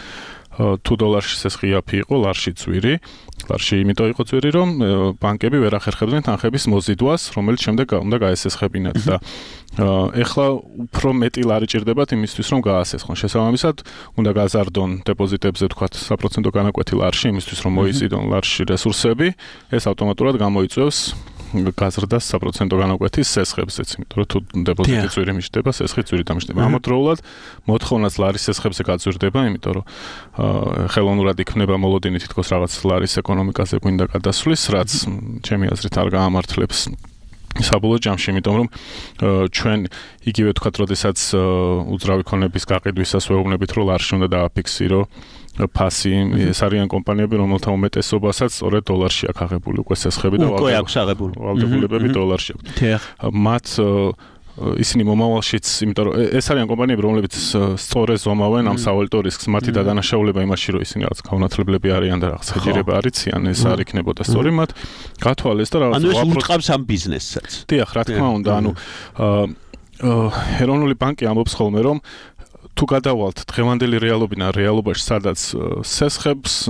თუ დოლარში სესხი იაფი იყო, ლარში ძვირი. ლარში იმიტომ იყო ძვირი, რომ ბანკები ვერ ახერხებდნენ თანხების მოზიდვას, რომელიც შემდეგ უნდა გაესესხებინათ და ეხლა უფრო მეტი ლარი ჭირდებათ იმისთვის, რომ გაასესხონ. შესაბამისად, უნდა გაზარდონ დეპოზიტებზე თქვათ საპროცენტო განაკვეთი ლარში, იმისთვის, რომ მოიზიდონ ლარში რესურსები, ეს ავტომატურად გამოიწვევს გაზრდას საპროცენტო განაკვეთის სესხებზეც, იმიტომ რომ თუ დეპოზიტი ძვირი მიჩნდება, სესხი ძვირი დამიჩნდება. ამავდროულად მოთხოვნაც ლარის სესხებზე გაძვირდება, იმიტომ რომ ხელოვნურად იქნება მოლოდინი თითქოს რაღაც ლარის ეკონომიკაზე გვინდა გადასვლის, რაც ჩემი აზრით არ გაამართლებს საბოლოო ჯამში, იმიტომ რომ ჩვენ იგივე ვთქვათ, როდესაც უძრავი ქონების გაყიდვისას ვეუბნებით, რომ ლარში უნდა დააფიქსირო ფასი, ეს არიან კომპანიები, რომელთა უმეტესობასაც სწორედ დოლარში აქვს აღებული უკვე სესხები და უკვე აქვს აღებული ვალდებულებები დოლარში აქვს. მათ ისინი მომავალშიც, იმიტომ რომ ეს არიან კომპანიები, რომლებიც სწორედ ზომავენ ამ სავალუტო რისკს, მათი დადანაშაულება იმაში, რომ ისინი რაღაც გაუნათლებლები არიან და რაღაც ჰეჯირება არიციან, ეს არ იქნებოდა სწორი მათ გათვალეს და რაღაც ანუ ეს ურტყავს ამ ბიზნესსაც. დიახ, რა თქმა უნდა, ანუ ეროვნული ბანკი ამბობს ხოლმე, რომ თუ გადავალთ დღევანდელი რეალობიდან რეალობაში, სადაც სესხებს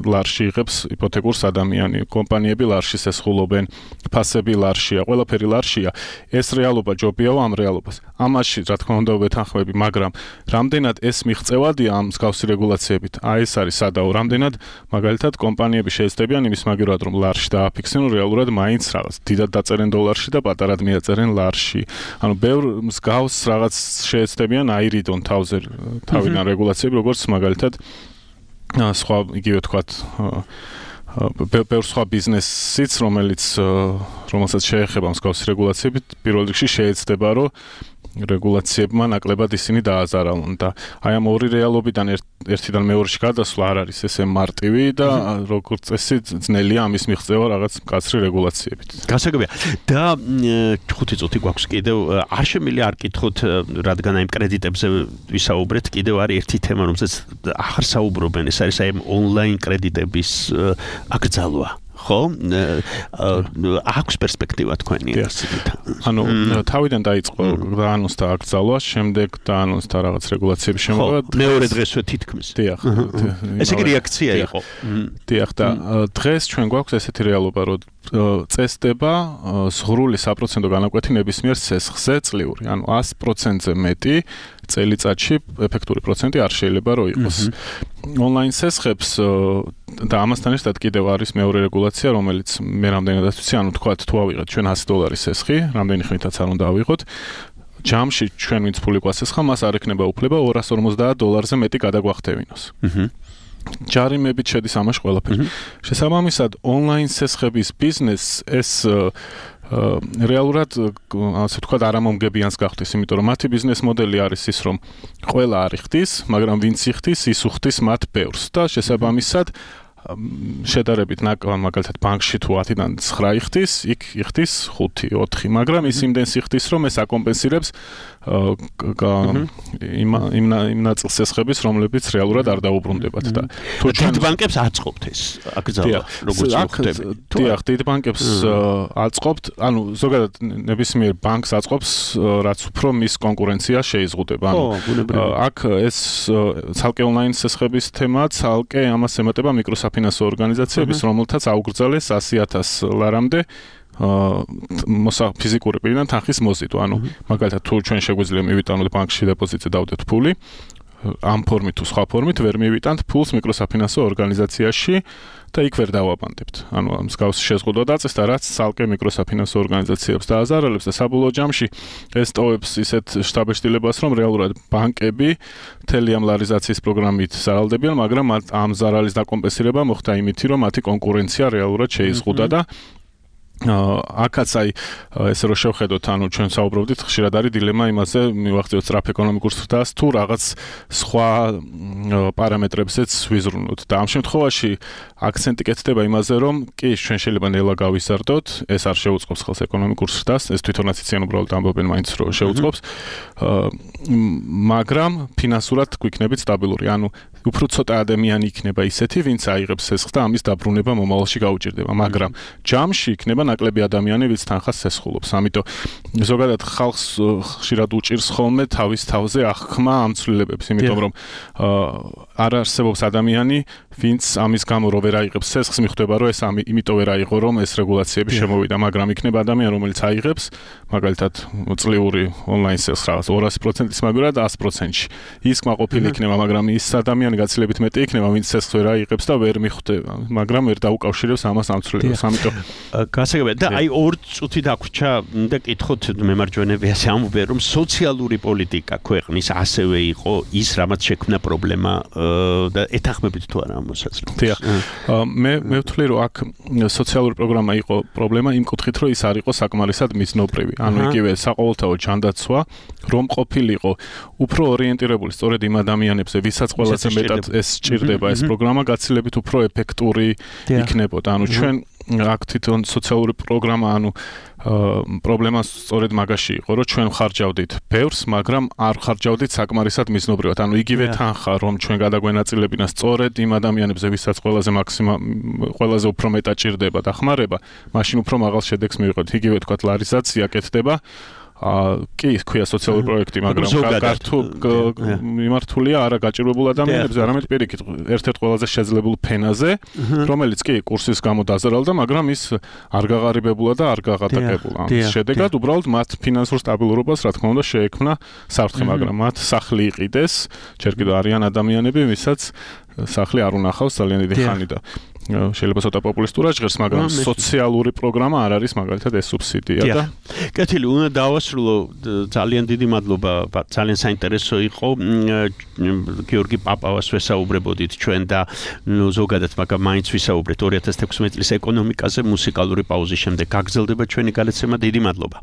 ლარში იღებს იპოთეკურს ადამიანი, კომპანიები ლარში სესხულობენ, ფასები ლარშია, ყველაფერი ლარშია. ეს რეალობა ჯობიაო ამ რეალობას. ამაში, რა თქმა უნდა, ვეთანხმები, მაგრამ რამდენად ეს მიღწევადია ამ მსგავსი რეგულაციებით? ეს არის სადაო, რამდენად მაგალითად კომპანიები შეეცდებიან იმის მაგივრად, რომ ლარში დააფიქსირონ, რეალურად მაინც რაღაც დიდად დაწერენ დოლარში და პატარად მიაწერენ ლარში. ანუ ბევრ მსგავს რაღაც შეეცდებიან აირიდონ თავიდან რეგულაციები, როგორც მაგალითად სხვა იგივე თქვათ ბევრ სხვა ბიზნესიც, რომელსაც შეეხება მსგავსი რეგულაციები, პირველ რიგში შეეცდება, რომ რეგულაციებმა ნაკლებად ისინი დააზარალონ და აი ამ ორი რეალობიდან ერთიდან მეორეში გადასვლა არ არის ესე მარტივი და როგორც წესი ძნელია ამის მიღწევა რაღაც მკაცრი რეგულაციებით. გასაგებია. და 5 წუთი გვაქვს კიდევ, არ შემიძლია არ კითხოთ, რადგან აი კრედიტებზე ვისაუბრეთ, კიდევ არის ერთი თემა, რომელზეც ახარ საუბრობენ, ეს არის აი ონლაინ კრედიტების აკრძალვა. ხო? აქვს პერსპექტივა თქვენი ინსტიტუტი. ანუ თავიდან დაიწყო დაანონსდა აკრძალვა, შემდეგ დაანონსდა რაღაც რეგულაციების შემოღება. მეორე დღესვე თითქმის. დიახ. ესე იგი რეაქცია იყო. დიახ და დღეს ჩვენ გვაქვს ესეთი რეალობა, რომ წესდება ზღვრული საპროცენტო განაკვეთი ნებისმიერ სესხზე წლიური. ანუ 100%-ზე მეტი წელიწადში ეფექტური პროცენტი არ შეიძლება რომ იყოს. ონლაინ სესხებს და ამასთან ერთად კიდევ არის მეორე რეგულაცია, რომელიც მე რამდენადაც ვიცი, ანუ თქვათ თუ ავიღეთ ჩვენ $100 სესხი, რამდენი ხნითაც არ უნდა ავიღოთ, ჯამში ჩვენ ვინც ფული გვასესხა, მას არ ექნება უფლება $250-ზე მეტი გადაგვახტევინოს. ჯარიმებით შედის ამაში ყველაფერი. შესაბამისად, ონლაინ სესხების ბიზნესს ეს რეალურად ასე ვთქვათ არამომგებიანს გახდის, იმიტომ რომ მათი ბიზნეს მოდელი არის ის, რომ ყველა არ იხდის, მაგრამ ვინც იხდის, ის უხდის მათ ბევრს და შესაბამისად შედარებით მაგალითად ბანკში თუ 10-დან 9 იხდის, იქ იხდის 5-4, მაგრამ ის იმდენს იხდის, რომ ეს აკომპენსირებს იმ ნაწილ სესხების, რომლებიც რეალურად არ დაუბრუნდებათ და თუ ჩვენ ბანკებს აწყობთ ეს აკრძალვა, როგორც ვხვდები. დიახ, დიდ ბანკებს აწყობთ, ანუ ზოგადად ნებისმიერ ბანკს აწყობს, რაც უფრო მის კონკურენცია შეიზღუდება. ანუ აქ ეს ცალკე ონლაინ სესხების თემა, ცალკე ამას ემატება მიკროსაფინანსო ორგანიზაციების, რომელთაც აუგრძალეს 100,000 ლარამდე ფიზიკური პირიდან თანხის მოზიდვა. ანუ მაგალითად თუ ჩვენ შეგვიძლია მივიტანოთ ბანკში დეპოზიტზე დავდეთ ფული, ამ ფორმით თუ სხვა ფორმით ვერ მივიტანთ ფულს მიკროსაფინანსო ორგანიზაციაში და იქ ვერ დავაბანდებთ. ანუ მსგავსი შეზღუდვა დაწესდა, რაც ცალკე მიკროსაფინანსო ორგანიზაციებს დააზარალებს და საბოლოო ჯამში ეს ტოვებს ისეთ შთაბეჭდილებას, რომ რეალურად ბანკები მთელი ამ ლარიზაციის პროგრამით ზარალდებიან, მაგრამ ამ ზარალის დაკომპენსირება მოხდა იმითი, რომ მათი კონკურენცია რეალურად შეიზღუდა და აქაც აი ესე რომ შევხედოთ, ანუ ჩვენ საუბრობდით, ხშირად არის დილემა იმაზე, მივახციოთ სწრაფ ეკონომიკურ ზრდას თუ რაღაც სხვა პარამეტრებზეც ვიზრუნოთ. და ამ შემთხვევაში აქცენტი კეთდება იმაზე, რომ კი ჩვენ შეიძლება ნელა გავიზარდოთ, ეს არ შეუწყობს ხელს ეკონომიკურ ზრდას, ეს თვითონაც იციან უბრალოდ ამბობენ მაინც რომ შეუწყობს, მაგრამ ფინანსურად გვიქნებით სტაბილური. ანუ უფრო ცოტა ადამიანი იქნება ისეთი, ვინც აიღებს სესხს და ამის დაბრუნება მომავალში გაუჭირდება, მაგრამ ჯამში იქნება ნაკლები ადამიანი, ვინც თანხას სესხულობს. ამიტომ ზოგადად ხალხს ხშირად უჭირს ხოლმე თავის თავზე აღქმა ამ ცვლილებებს, იმიტომ რომ არ არსებობს ადამიანი, ვინც ამის გამო რო ვერ აიღებს სესხს, მიხვდება რომ ეს იმიტომ ვერ აიღო, რომ ეს რეგულაციები შემოვიდა, მაგრამ იქნება ადამიანი, რომელიც აიღებს, მაგალითად წლიური ონლაინ სესხს რაღაც 200%-ის მაგალითად 100%-ში. ის კმაყოფილი იქნება, მაგრამ ის ადამიანი გაცილებით მეტი იქნება, ვინც სესხს ვერ აიღებს და ვერ მიხვდება, მაგრამ ვერ დაუკავშირებს ამას ამ ცვლილებას. ამიტომ გასაგებია და აი 2 წუთი დაგვრჩა და კითხოთ მემარჯვენეები ასე ამბობენ, რომ სოციალური პოლიტიკა ქვეყნის ასევე იყო ის, რამაც შექმნა პრობლემა და ეთანხმებით თუ არა ამ მოსაზრებას. დიახ. მე ვთვლი, რომ აქ სოციალური პროგრამა იყო პრობლემა იმ კუთხით, რომ ის არ იყო საკმარისად მიზნობრივი. ანუ იგივე საყოველთაო ჯანდაცვა, რომ ყოფილიყო უფრო ორიენტირებული სწორედ იმ ადამიანებზე, ვისაც ყველაზე მეტად ეს სჭირდება ეს პროგრამა, გაცილებით უფრო ეფექტური იქნებოდა. ანუ ჩვენ აქ თვითონ სოციალური პროგრამა, ანუ პრობლემა სწორედ მაგაში იყო, რომ ჩვენ ხარჯავდით ბევრს, მაგრამ არ ხარჯავდით საკმარისად მიზნობრივად. ანუ იგივე თანხა, რომ ჩვენ გადაგვენაწილებინა სწორედ იმ ადამიანებზე, ვისაც ყველაზე უფრო მეტად ჭირდება და ხმარება, მაშინ უფრო მაღალ შედეგს მივიღებთ. იგივე თქვათ ლარიზაცია კეთდება, კი, ქვია სოციალური პროექტი, მაგრამ მიმართულია არა გაჭირვებულ ადამიანებზე, არამედ პირიქით, ერთ-ერთ ყველაზე შეძლებულ ფენაზე, რომელიც კი კურსის გამო დაზარალდა, მაგრამ ის არ გაღარიბებულა და არ გაღატაკებულა. შედეგად უბრალოდ მათ ფინანსურ სტაბილურობას, რა თქმა უნდა, შეექმნა საფრთხე, მაგრამ მათ სახლი იყიდეს, ჯერ კიდევ არიან ადამიანები, ვისაც სახლი არ უნახავს ძალიან დიდი ხანი და შეიძლება ცოტა პოპულისტურად ჟღერს, მაგრამ სოციალური პროგრამა არ არის მაგალითად ეს სუბსიდია და კეთილი, უნდა დავასრულო, ძალიან დიდი მადლობა, ძალიან საინტერესო იყო. გიორგი პაპავას ვესაუბრებოდით ჩვენ და ზოგადად, მაგრამ მაინც ვისაუბრეთ 2016 წლის ეკონომიკაზე. მუსიკალური პაუზის შემდეგ გაგრძელდება ჩვენი გადაცემა. დიდი მადლობა.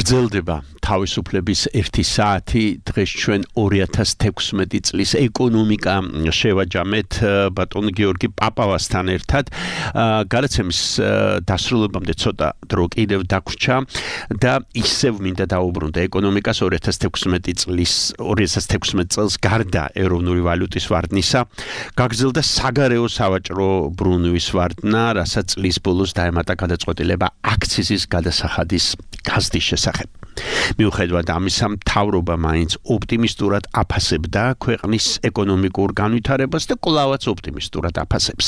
გრძელდება თავისუფლების 1 საათი. დღეს ჩვენ 2016 წლის ეკონომიკა შევაჯამეთ ბატონ გიორგი პაპავასთან ერთად. გადაცემის დასრულებამდე ცოტა დრო კიდევ დაგვრჩა და ისევ მინდა დაუბრუნდე ეკონომიკას 2016 წელს გარდა ეროვნული ვალუტის ვარდნისა გაგრძელდა საგარეო სავაჭრო ბრუნვის ვარდნა, რასაც წლის ბოლოს დაემატა გადაწყვეტილება აქციზის გადასახადის გაზრდის შესახებ. მიუხედავად ამისა, მთავრობა მაინც ოპტიმისტურად აფასებდა ქვეყნის ეკონომიკურ განვითარებას და კვლავაც ოპტიმისტურად აფასებს.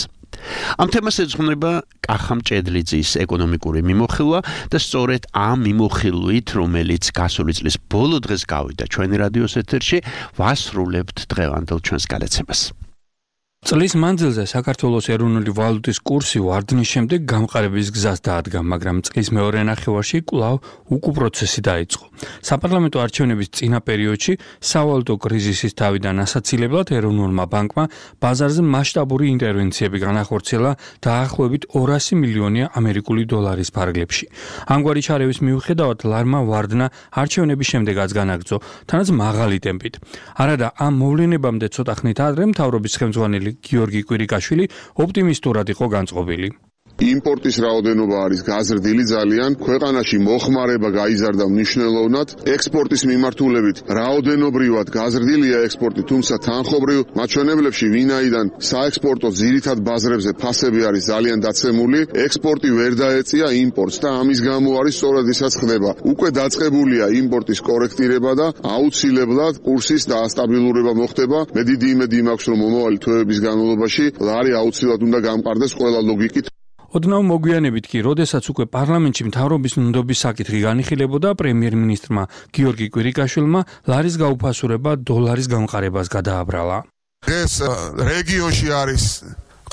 ამ თემას ეძღვნება კახა მჭედლიძის ეკონომიკური მიმოხილვა და სწორედ ამ მიმოხილვით, რომელიც გასული წლის ბოლო დღეს გავიდა ჩვენი რადიოს ეთერში, ვასრულებთ დღევანდელ ჩვენს გადაცემას. წლის მანძილზე საქართველოს ეროვნული ვალუტის კურსი ვარდნის შემდეგ გამყარების გზას დაადგა, მაგრამ წლის მეორე ნახევარში კვლავ უკუ პროცესი დაიწყო. საპარლამენტო არჩევნების წინა პერიოდში სავალუტო კრიზისის თავიდან ასაცილებლად ეროვნულმა ბანკმა ბაზარზე მასშტაბური ინტერვენციები განახორციელა დაახლოებით 200 მილიონი ამერიკული დოლარის ფარგლებში. ამგვარი ჩარევის მიუხედავად ლარმა ვარდნა არჩევნების შემდეგაც განაგრძო, თანაც მაღალი ტემპით. არადა ამ მოვლენებამდე ცოტა ხნით ადრე მთავრობის ხელმძღვანელი გიორგი კვირიკაშვილი ოპტიმისტურად იყო განწყობილი. იმპორტის რაოდენობა არის გაზრდილი ძალიან, ქვეყანაში მოხმარება გაიზარდა მნიშვნელოვნად, ექსპორტის მიმართულებით რაოდენობრივად გაზრდილია ექსპორტი, თუმცა თანხობრივ მაჩვენებლებში ვინაიდან საექსპორტო ძირითად ბაზრებზე ფასები არის ძალიან დაცემული, ექსპორტი ვერ დაეწია იმპორტს და ამის გამო არის სწორად ისაც ხდება. უკვე დაწყებულია იმპორტის კორექტირება და აუცილებლად კურსის დაასტაბილურება მოხდება. მე დიდი იმედი მაქვს, რომ მომავალი თვეების განმავლობაში ლარი აუცილებლად უნდა გამყარდეს ყველა ლოგიკით. ოდნავ მოგვიანებით კი, როდესაც უკვე პარლამენტში მთავრობის ნდობის საკითხი განიხილებოდა, პრემიერ-მინისტრმა გიორგი კვირიკაშვილმა ლარის გაუფასურება დოლარის გამყარებას გადააბრალა. ეს რეგიონში არის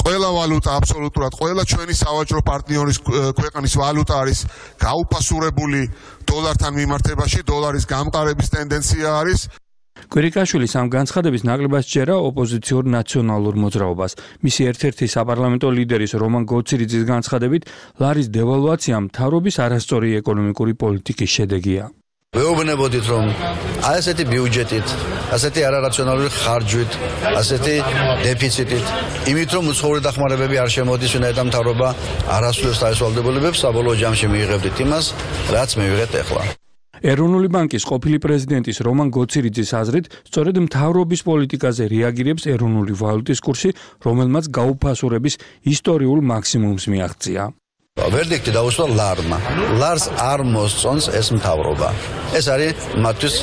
ყველა ვალუტა აბსოლუტურად, ყველა ჩვენი სავაჭრო პარტნიორის ქვეყნის ვალუტა არის გაუფასურებული დოლართან მიმართებაში, დოლარის გამყარების ტენდენცია არის. კვირიკაშვილის ამ განცხადების ნაკლებად სჯერა ოპოზიციურ ნაციონალურ მოძრაობას. მისი ერთ-ერთი საპარლამენტო ლიდერის რომან გოცირიძის განცხადებით, ლარის დევალვაცია მთავრობის არასწორი ეკონომიკური პოლიტიკის შედეგია. ვეუბნებოდით, რომ ასეთი ბიუჯეტით, ასეთი არარაციონალური ხარჯვით, ასეთი დეფიციტით, იმით რომ უცხოური დახმარებები არ შემოდის, ვინაიდან მთავრობა არასრულებს თავისუფლებებს, საბოლოო ჯამში მიიღებდით იმას, რაც მივიღეთ ახლა. ეროვნული ბანკის ყოფილი პრეზიდენტის რომან გოცირიძის აზრით, სწორედ მთავრობის პოლიტიკაზე რეაგირებს ეროვნული ვალუტის კურსი, რომელმაც გაუფასურების ისტორიულ მაქსიმუმს მიაღწია. ვერდიქტი დაუსვა ლარმა. ლარს არ მოსწონს ეს მთავრობა. ეს არის მათთვის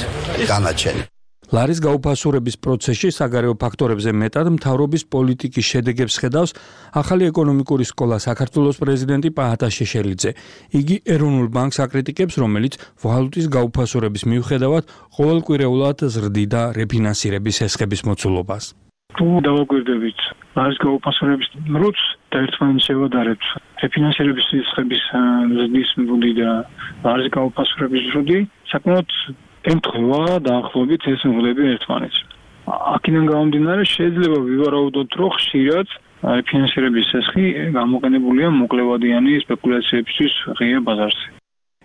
განაჩენი. ლარის გაუფასურების პროცესში საგარეო ფაქტორებზე მეტად მთავრობის პოლიტიკის შედეგებს ხედავს ახალი ეკონომიკური სკოლა საქართველოს პრეზიდენტი პაატა შეშელიძე. იგი ეროვნულ ბანკს აკრიტიკებს, რომელიც ვალუტის გაუფასურების მიუხედავად ყოველკვირეულად ზრდიდა რეფინანსირების ესხების მოცულობას. თუ დავაკვირდებით ლარის გაუფასურების როც და ერთმანეთს შევადარებთ რეფინანსირების ესხების ზრდის მბუდი და ლარის გაუფასურების ზრდი, საკმაოდ ემთხვევა დაახლოებით ეს მღვდლები ერთმანეთს. აქედან გამომდინარე შეიძლება ვივარაუდოთ, რომ ხშირად ფინანსირების ესხი გამოყენებულია მოკლევადიანი სპეკულაციებისთვის ღია ბაზარზე.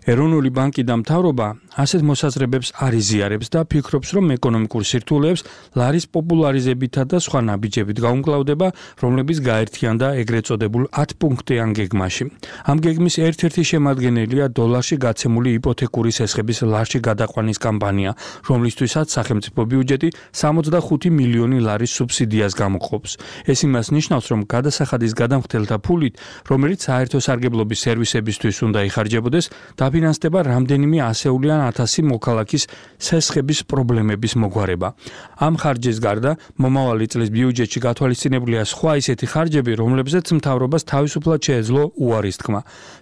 ეროვნული ბანკი და მთავრობა ასეთ მოსაზრებებს არ იზიარებს და ფიქრობს, რომ ეკონომიკურ სირთულეებს ლარის პოპულარიზებითა და სხვა ნაბიჯებით გაუმკლავდება, რომლებიც გაერთიანდა ეგრეთ წოდებულ 10 პუნქტიან გეგმაში. ამ გეგმის ერთ-ერთი შემადგენელია დოლარში გაცემული იპოთეკური ესხების ლარში გადაყვანის კამპანია, რომლისთვისაც სახელმწიფო ბიუჯეტი 65 მილიონი ლარის სუბსიდიას გამოყოფს. ეს იმას ნიშნავს, რომ გადასახადის გადამხდელთა ფულით, რომელიც საერთო სარგებლობის სერვისებისთვის უნდა იხარჯებოდეს, დაფინანსდება რამდენიმე ასეულიან 1000 მოქალაქის სესხების პრობლემების მოგვარება. ამ ხარჯის გარდა მომავალი წლის ბიუჯეტში გათვალისწინებულია სხვა ისეთი ხარჯები, რომლებზეც მთავრობას თავისუფლად შეეძლო უარის თქმა.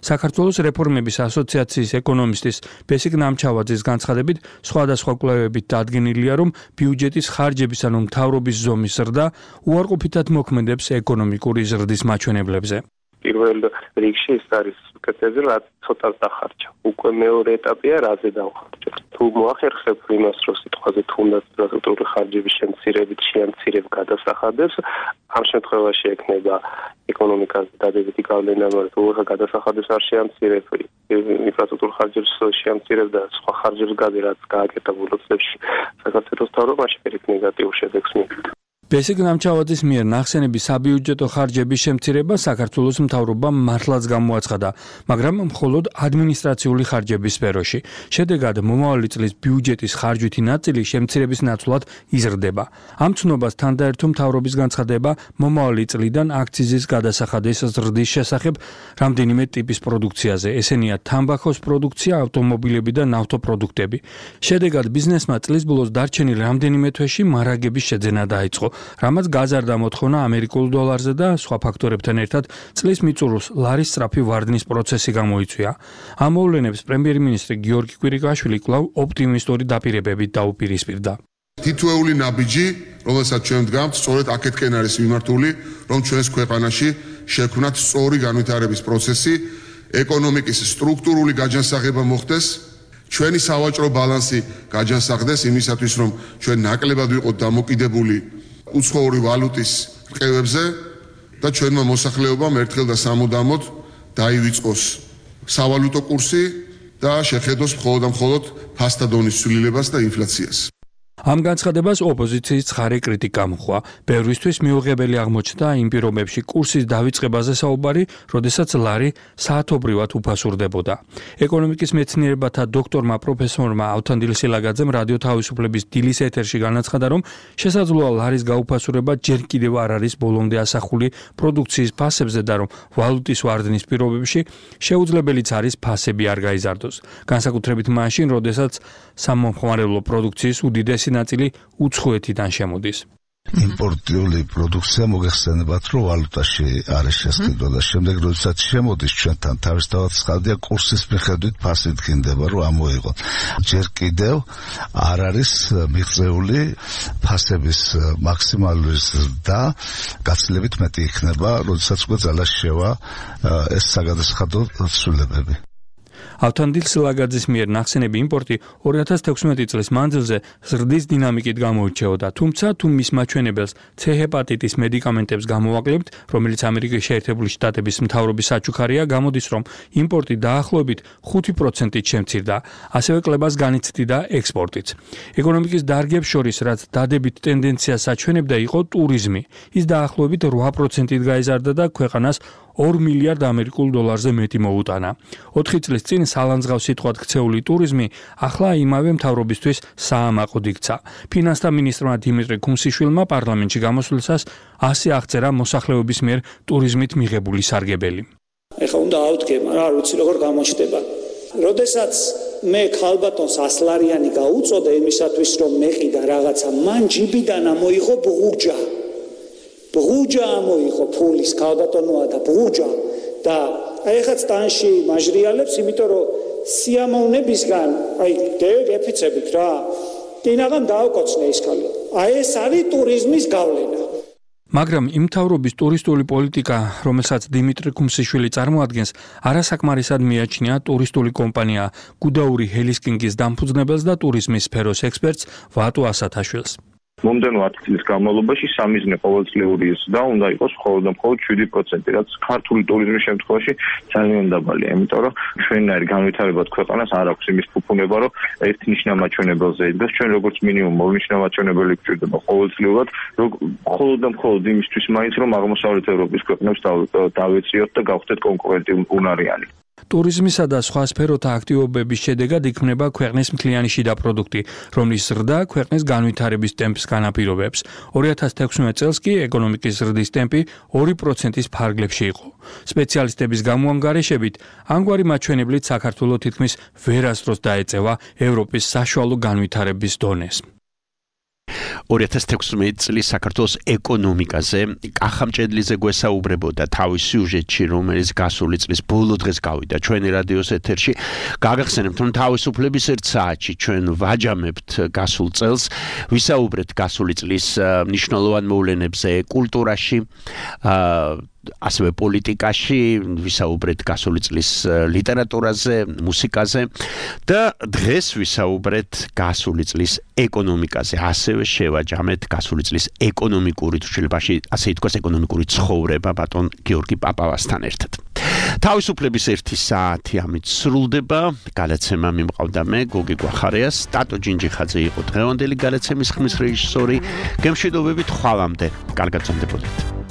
საქართველოს რეფორმების ასოციაციის ეკონომისტის ბესიკ ნამჩავაძის განცხადებით, სხვადასხვა კვლევებით დადგენილია, რომ ბიუჯეტის ხარჯების ანუ მთავრობის ზომის ზრდა უარყოფითად მოქმედებს ეკონომიკური ზრდის მაჩვენებლებზე. პირველ რიგში ის არის კეთილზე რაც ცოტას დახარჯა. უკვე მეორე ეტაპია რაზე დავხარჯო. თუ მოახერხებ იმას, რომ სიტყვაზე თუნდაც სტრუქტურული ხარჯების შემცირებით შეამცირებ გადასახადებს, ამ შემთხვევაში ექნება ეკონომიკას დადებითი გავლენა, მაგრამ თუ გადასახადებს არ შეამცირებ, ინფრასტრუქტურულ ხარჯებს შეამცირებ და სხვა ხარჯებს გადი, რაც გააკეთა ბოლო წლებში საქართველოს მთავრობაში, ერთ ნეგატიურ შედეგს მიიღეთ. ბესიკ ნამჩავაძის მიერ ნახსენები საბიუჯეტო ხარჯების შემცირება საქართველოს მთავრობამ მართლაც გამოაცხადა, მაგრამ მხოლოდ ადმინისტრაციული ხარჯების სფეროში. შედეგად მომავალი წლის ბიუჯეტის ხარჯვითი ნაწილი შემცირების ნაცვლად იზრდება. ამ ცნობას თანდაერთო მთავრობის განცხადება მომავალი წლიდან აქციზის გადასახადის ზრდის შესახებ რამდენიმე ტიპის პროდუქციაზე. ესენია თამბაქოს პროდუქცია, ავტომობილები და ნავთობპროდუქტები. შედეგად ბიზნესმა წლის ბოლოს დარჩენილ რამდენიმე თვეში მარაგების შეძენა დაიწყო. რამაც გაზარდა მოთხოვნა ამერიკულ დოლარზე და სხვა ფაქტორებთან ერთად წლის მიწურულს ლარის სწრაფი ვარდნის პროცესი გამოიწვია. ამ მოვლენებს პრემიერ-მინისტრი გიორგი კვირიკაშვილი კვლავ ოპტიმისტური დაპირებებით დაუპირისპირდა. თითოეული ნაბიჯი, რომელსაც ჩვენ ვდგამთ, სწორედ აქეთკენ არის მიმართული, რომ ჩვენს ქვეყანაში შექმნათ სწორი განვითარების პროცესი, ეკონომიკის სტრუქტურული გაჯანსაღება მოხდეს, ჩვენი სავაჭრო ბალანსი გაჯანსაღდეს იმისათვის, რომ ჩვენ ნაკლებად ვიყოთ დამოკიდებული უცხოური ვალუტის რყევებზე და ჩვენმა მოსახლეობამ ერთხელ და სამუდამოდ დაივიწყოს სავალუტო კურსი და შეხედოს მხოლოდ ფასთა დონის ცვლილებას და ინფლაციას. ამ განცხადებას ოპოზიციის ცხარე კრიტიკა მოჰყვა. ბევრისთვის მიუღებელი აღმოჩნდა იმ პირობებში კურსის დავიწყებაზე საუბარი, როდესაც ლარი საათობრივად უფასურდებოდა. ეკონომიკის მეცნიერებათა დოქტორმა პროფესორმა ავთანდილ სილაგაძემ რადიო თავისუფლების დილის ეთერში განაცხადა, რომ შესაძლოა ლარის გაუფასურება ჯერ კიდევ არ არის ბოლომდე ასახული პროდუქციის ფასებზე და რომ ვალუტის ვარდნის პირობებში შეუძლებელიც არის ფასები არ გაიზარდოს. განსაკუთრებით მაშინ, როდესაც სამომხმარებლო პროდუქციის უდიდესი ნაწილი უცხოეთიდან შემოდის. იმპორტიული პროდუქცია მოგეხსენებათ, რომ ვალუტაში არის შესყიდვა და შემდეგ როდესაც შემოდის ჩვენთან თავისთავად სხალდია კურსის მიხედვით ფასი დგინდება, რომ ამოიღოთ. ჯერ კიდევ არ არის მიღწეული ფასების მაქსიმალური ზრდა, გაცილებით მეტი იქნება, როდესაც უკვე ძალას შევა ეს საგადასახადო ცვლილებები. ავთანდილ სილაგაძის მიერ ნახსენები იმპორტი 2016 წლის მანძილზე ზრდის დინამიკით გამოირჩეოდა, თუმცა თუ მის მაჩვენებელს C ჰეპატიტის მედიკამენტებს გამოვაკლებთ, რომელიც ამერიკის შეერთებული შტატების მთავრობის საჩუქარია, გამოდის, რომ იმპორტი დაახლოებით 5%-ით შემცირდა, ასევე კლებას განიცდიდა ექსპორტიც. ეკონომიკის დარგებს შორის, რაც დადებით ტენდენციას აჩვენებდა, იყო ტურიზმი. ის დაახლოებით 8%-ით გაიზარდა და ქვეყანას 2 მილიარდ ამერიკულ დოლარზე მეტი მოუტანა. 4 წლის წინ სალანძღავს სიტყვად ქცეული ტურიზმი ახლა იმავე მთავრობისთვის საამაყოდ იქცა. ფინანსთა მინისტრმა დიმიტრი კუმსიშვილმა პარლამენტში გამოსვლისას ასე აღწერა მოსახლეობის მიერ ტურიზმით მიღებული სარგებელი. ეხლა უნდა ავდგება, რა ვიცი როგორ გამოჩნდება. როდესაც მე ქალბატონს 100 ლარიანი გაუწოდა იმისათვის რომ მეყიდა რაღაცა, მან ჯიბიდან ამოიღო ბღუჯა. ბღუჯა ამოიღო ფულის ქალბატონოა და ბღუჯა და ეხლა სტანში მაჟრიალებს, იმიტომ რომ სიამოვნებისგან, გეფიცებით რა. კინაღან დააკოცნე ის ქალი. ეს არის ტურიზმის გავლენა. მაგრამ იმ მთავრობის ტურისტული პოლიტიკა, რომელსაც დიმიტრი კუმსიშვილი წარმოადგენს, არასაკმარისად მიაჩნია ტურისტული კომპანია გუდაური ჰელისკინგის დამფუძნებელს და ტურიზმის სფეროს ექსპერტს ვატო ასათაშვილს. მომდენო 10 წლის განმავლობაში სამიზნე ყოველწლიური ზრდა უნდა იყოს მხოლოდ 7%, რაც ქართული ტურიზმის შემთხვევაში ძალიან დაბალია, იმიტომ რომ ჩვენნაირი განვითარებად ქვეყანას არ აქვს იმის ფუფუნება, რომ ერთ ნიშნა მაჩვენებელზე იდგას. ჩვენ როგორც მინიმუმ ორ ნიშნა მაჩვენებელი გვჭირდება ყოველწლიურად, მხოლოდ იმისთვის მაინც რომ აღმოსავლეთ ევროპის ქვეყნებს დავეციოთ და გავხდეთ კონკურენტუნარიანი. ტურიზმისა და სხვა სფეროთა აქტივობების შედეგად იქმნება ქვეყნის მთლიანი შიდა პროდუქტი, რომლის ზრდა ქვეყნის განვითარების ტემპს განაპირობებს. 2016 წელს კი ეკონომიკის ზრდის ტემპი 2%-ის ფარგლებში იყო. სპეციალისტების გამოანგარიშებით, ამგვარი მაჩვენებლით საქართველო თითქმის ვერასდროს დაეწევა ევროპის საშუალო განვითარების დონეს. 2016 წლის საქართველოს ეკონომიკაზე კახამჭედლიზე გვესაუბრებოდა თავის სიუჟეტში, რომელიც გასული წლის ბოლო დღეს გავიდა ჩვენი რადიოს ეთერში. გაგახსენებთ, რომ თავისუფლების ერთ საათში ჩვენ ვაჯამებთ გასულ წელს, ვისაუბრეთ გასული წლის მნიშვნელოვან მოვლენებზე კულტურაში, ასევე პოლიტიკაში, ვისაუბრეთ გასული წლის ლიტერატურაზე, მუსიკაზე და დღეს ვისაუბრეთ გასული წლის ეკონომიკაზე. ასევე შევაჯამეთ გასული წლის ეკონომიკური თვალსაზრისით, ასე ითქვას, ეკონომიკური ცხოვრება ბატონ გიორგი პაპავასთან ერთად. თავისუფლების 1 საათი ამით სრულდება. გადაცემა მიმყავდა მე, გოგი გვახარიას, ტატო ჯინჯიხაძე იყო დღევანდელი გადაცემის ხმის რეჟისორი. გემშვიდობებით ხვალამდე. კარგად გრძანდებოდეთ.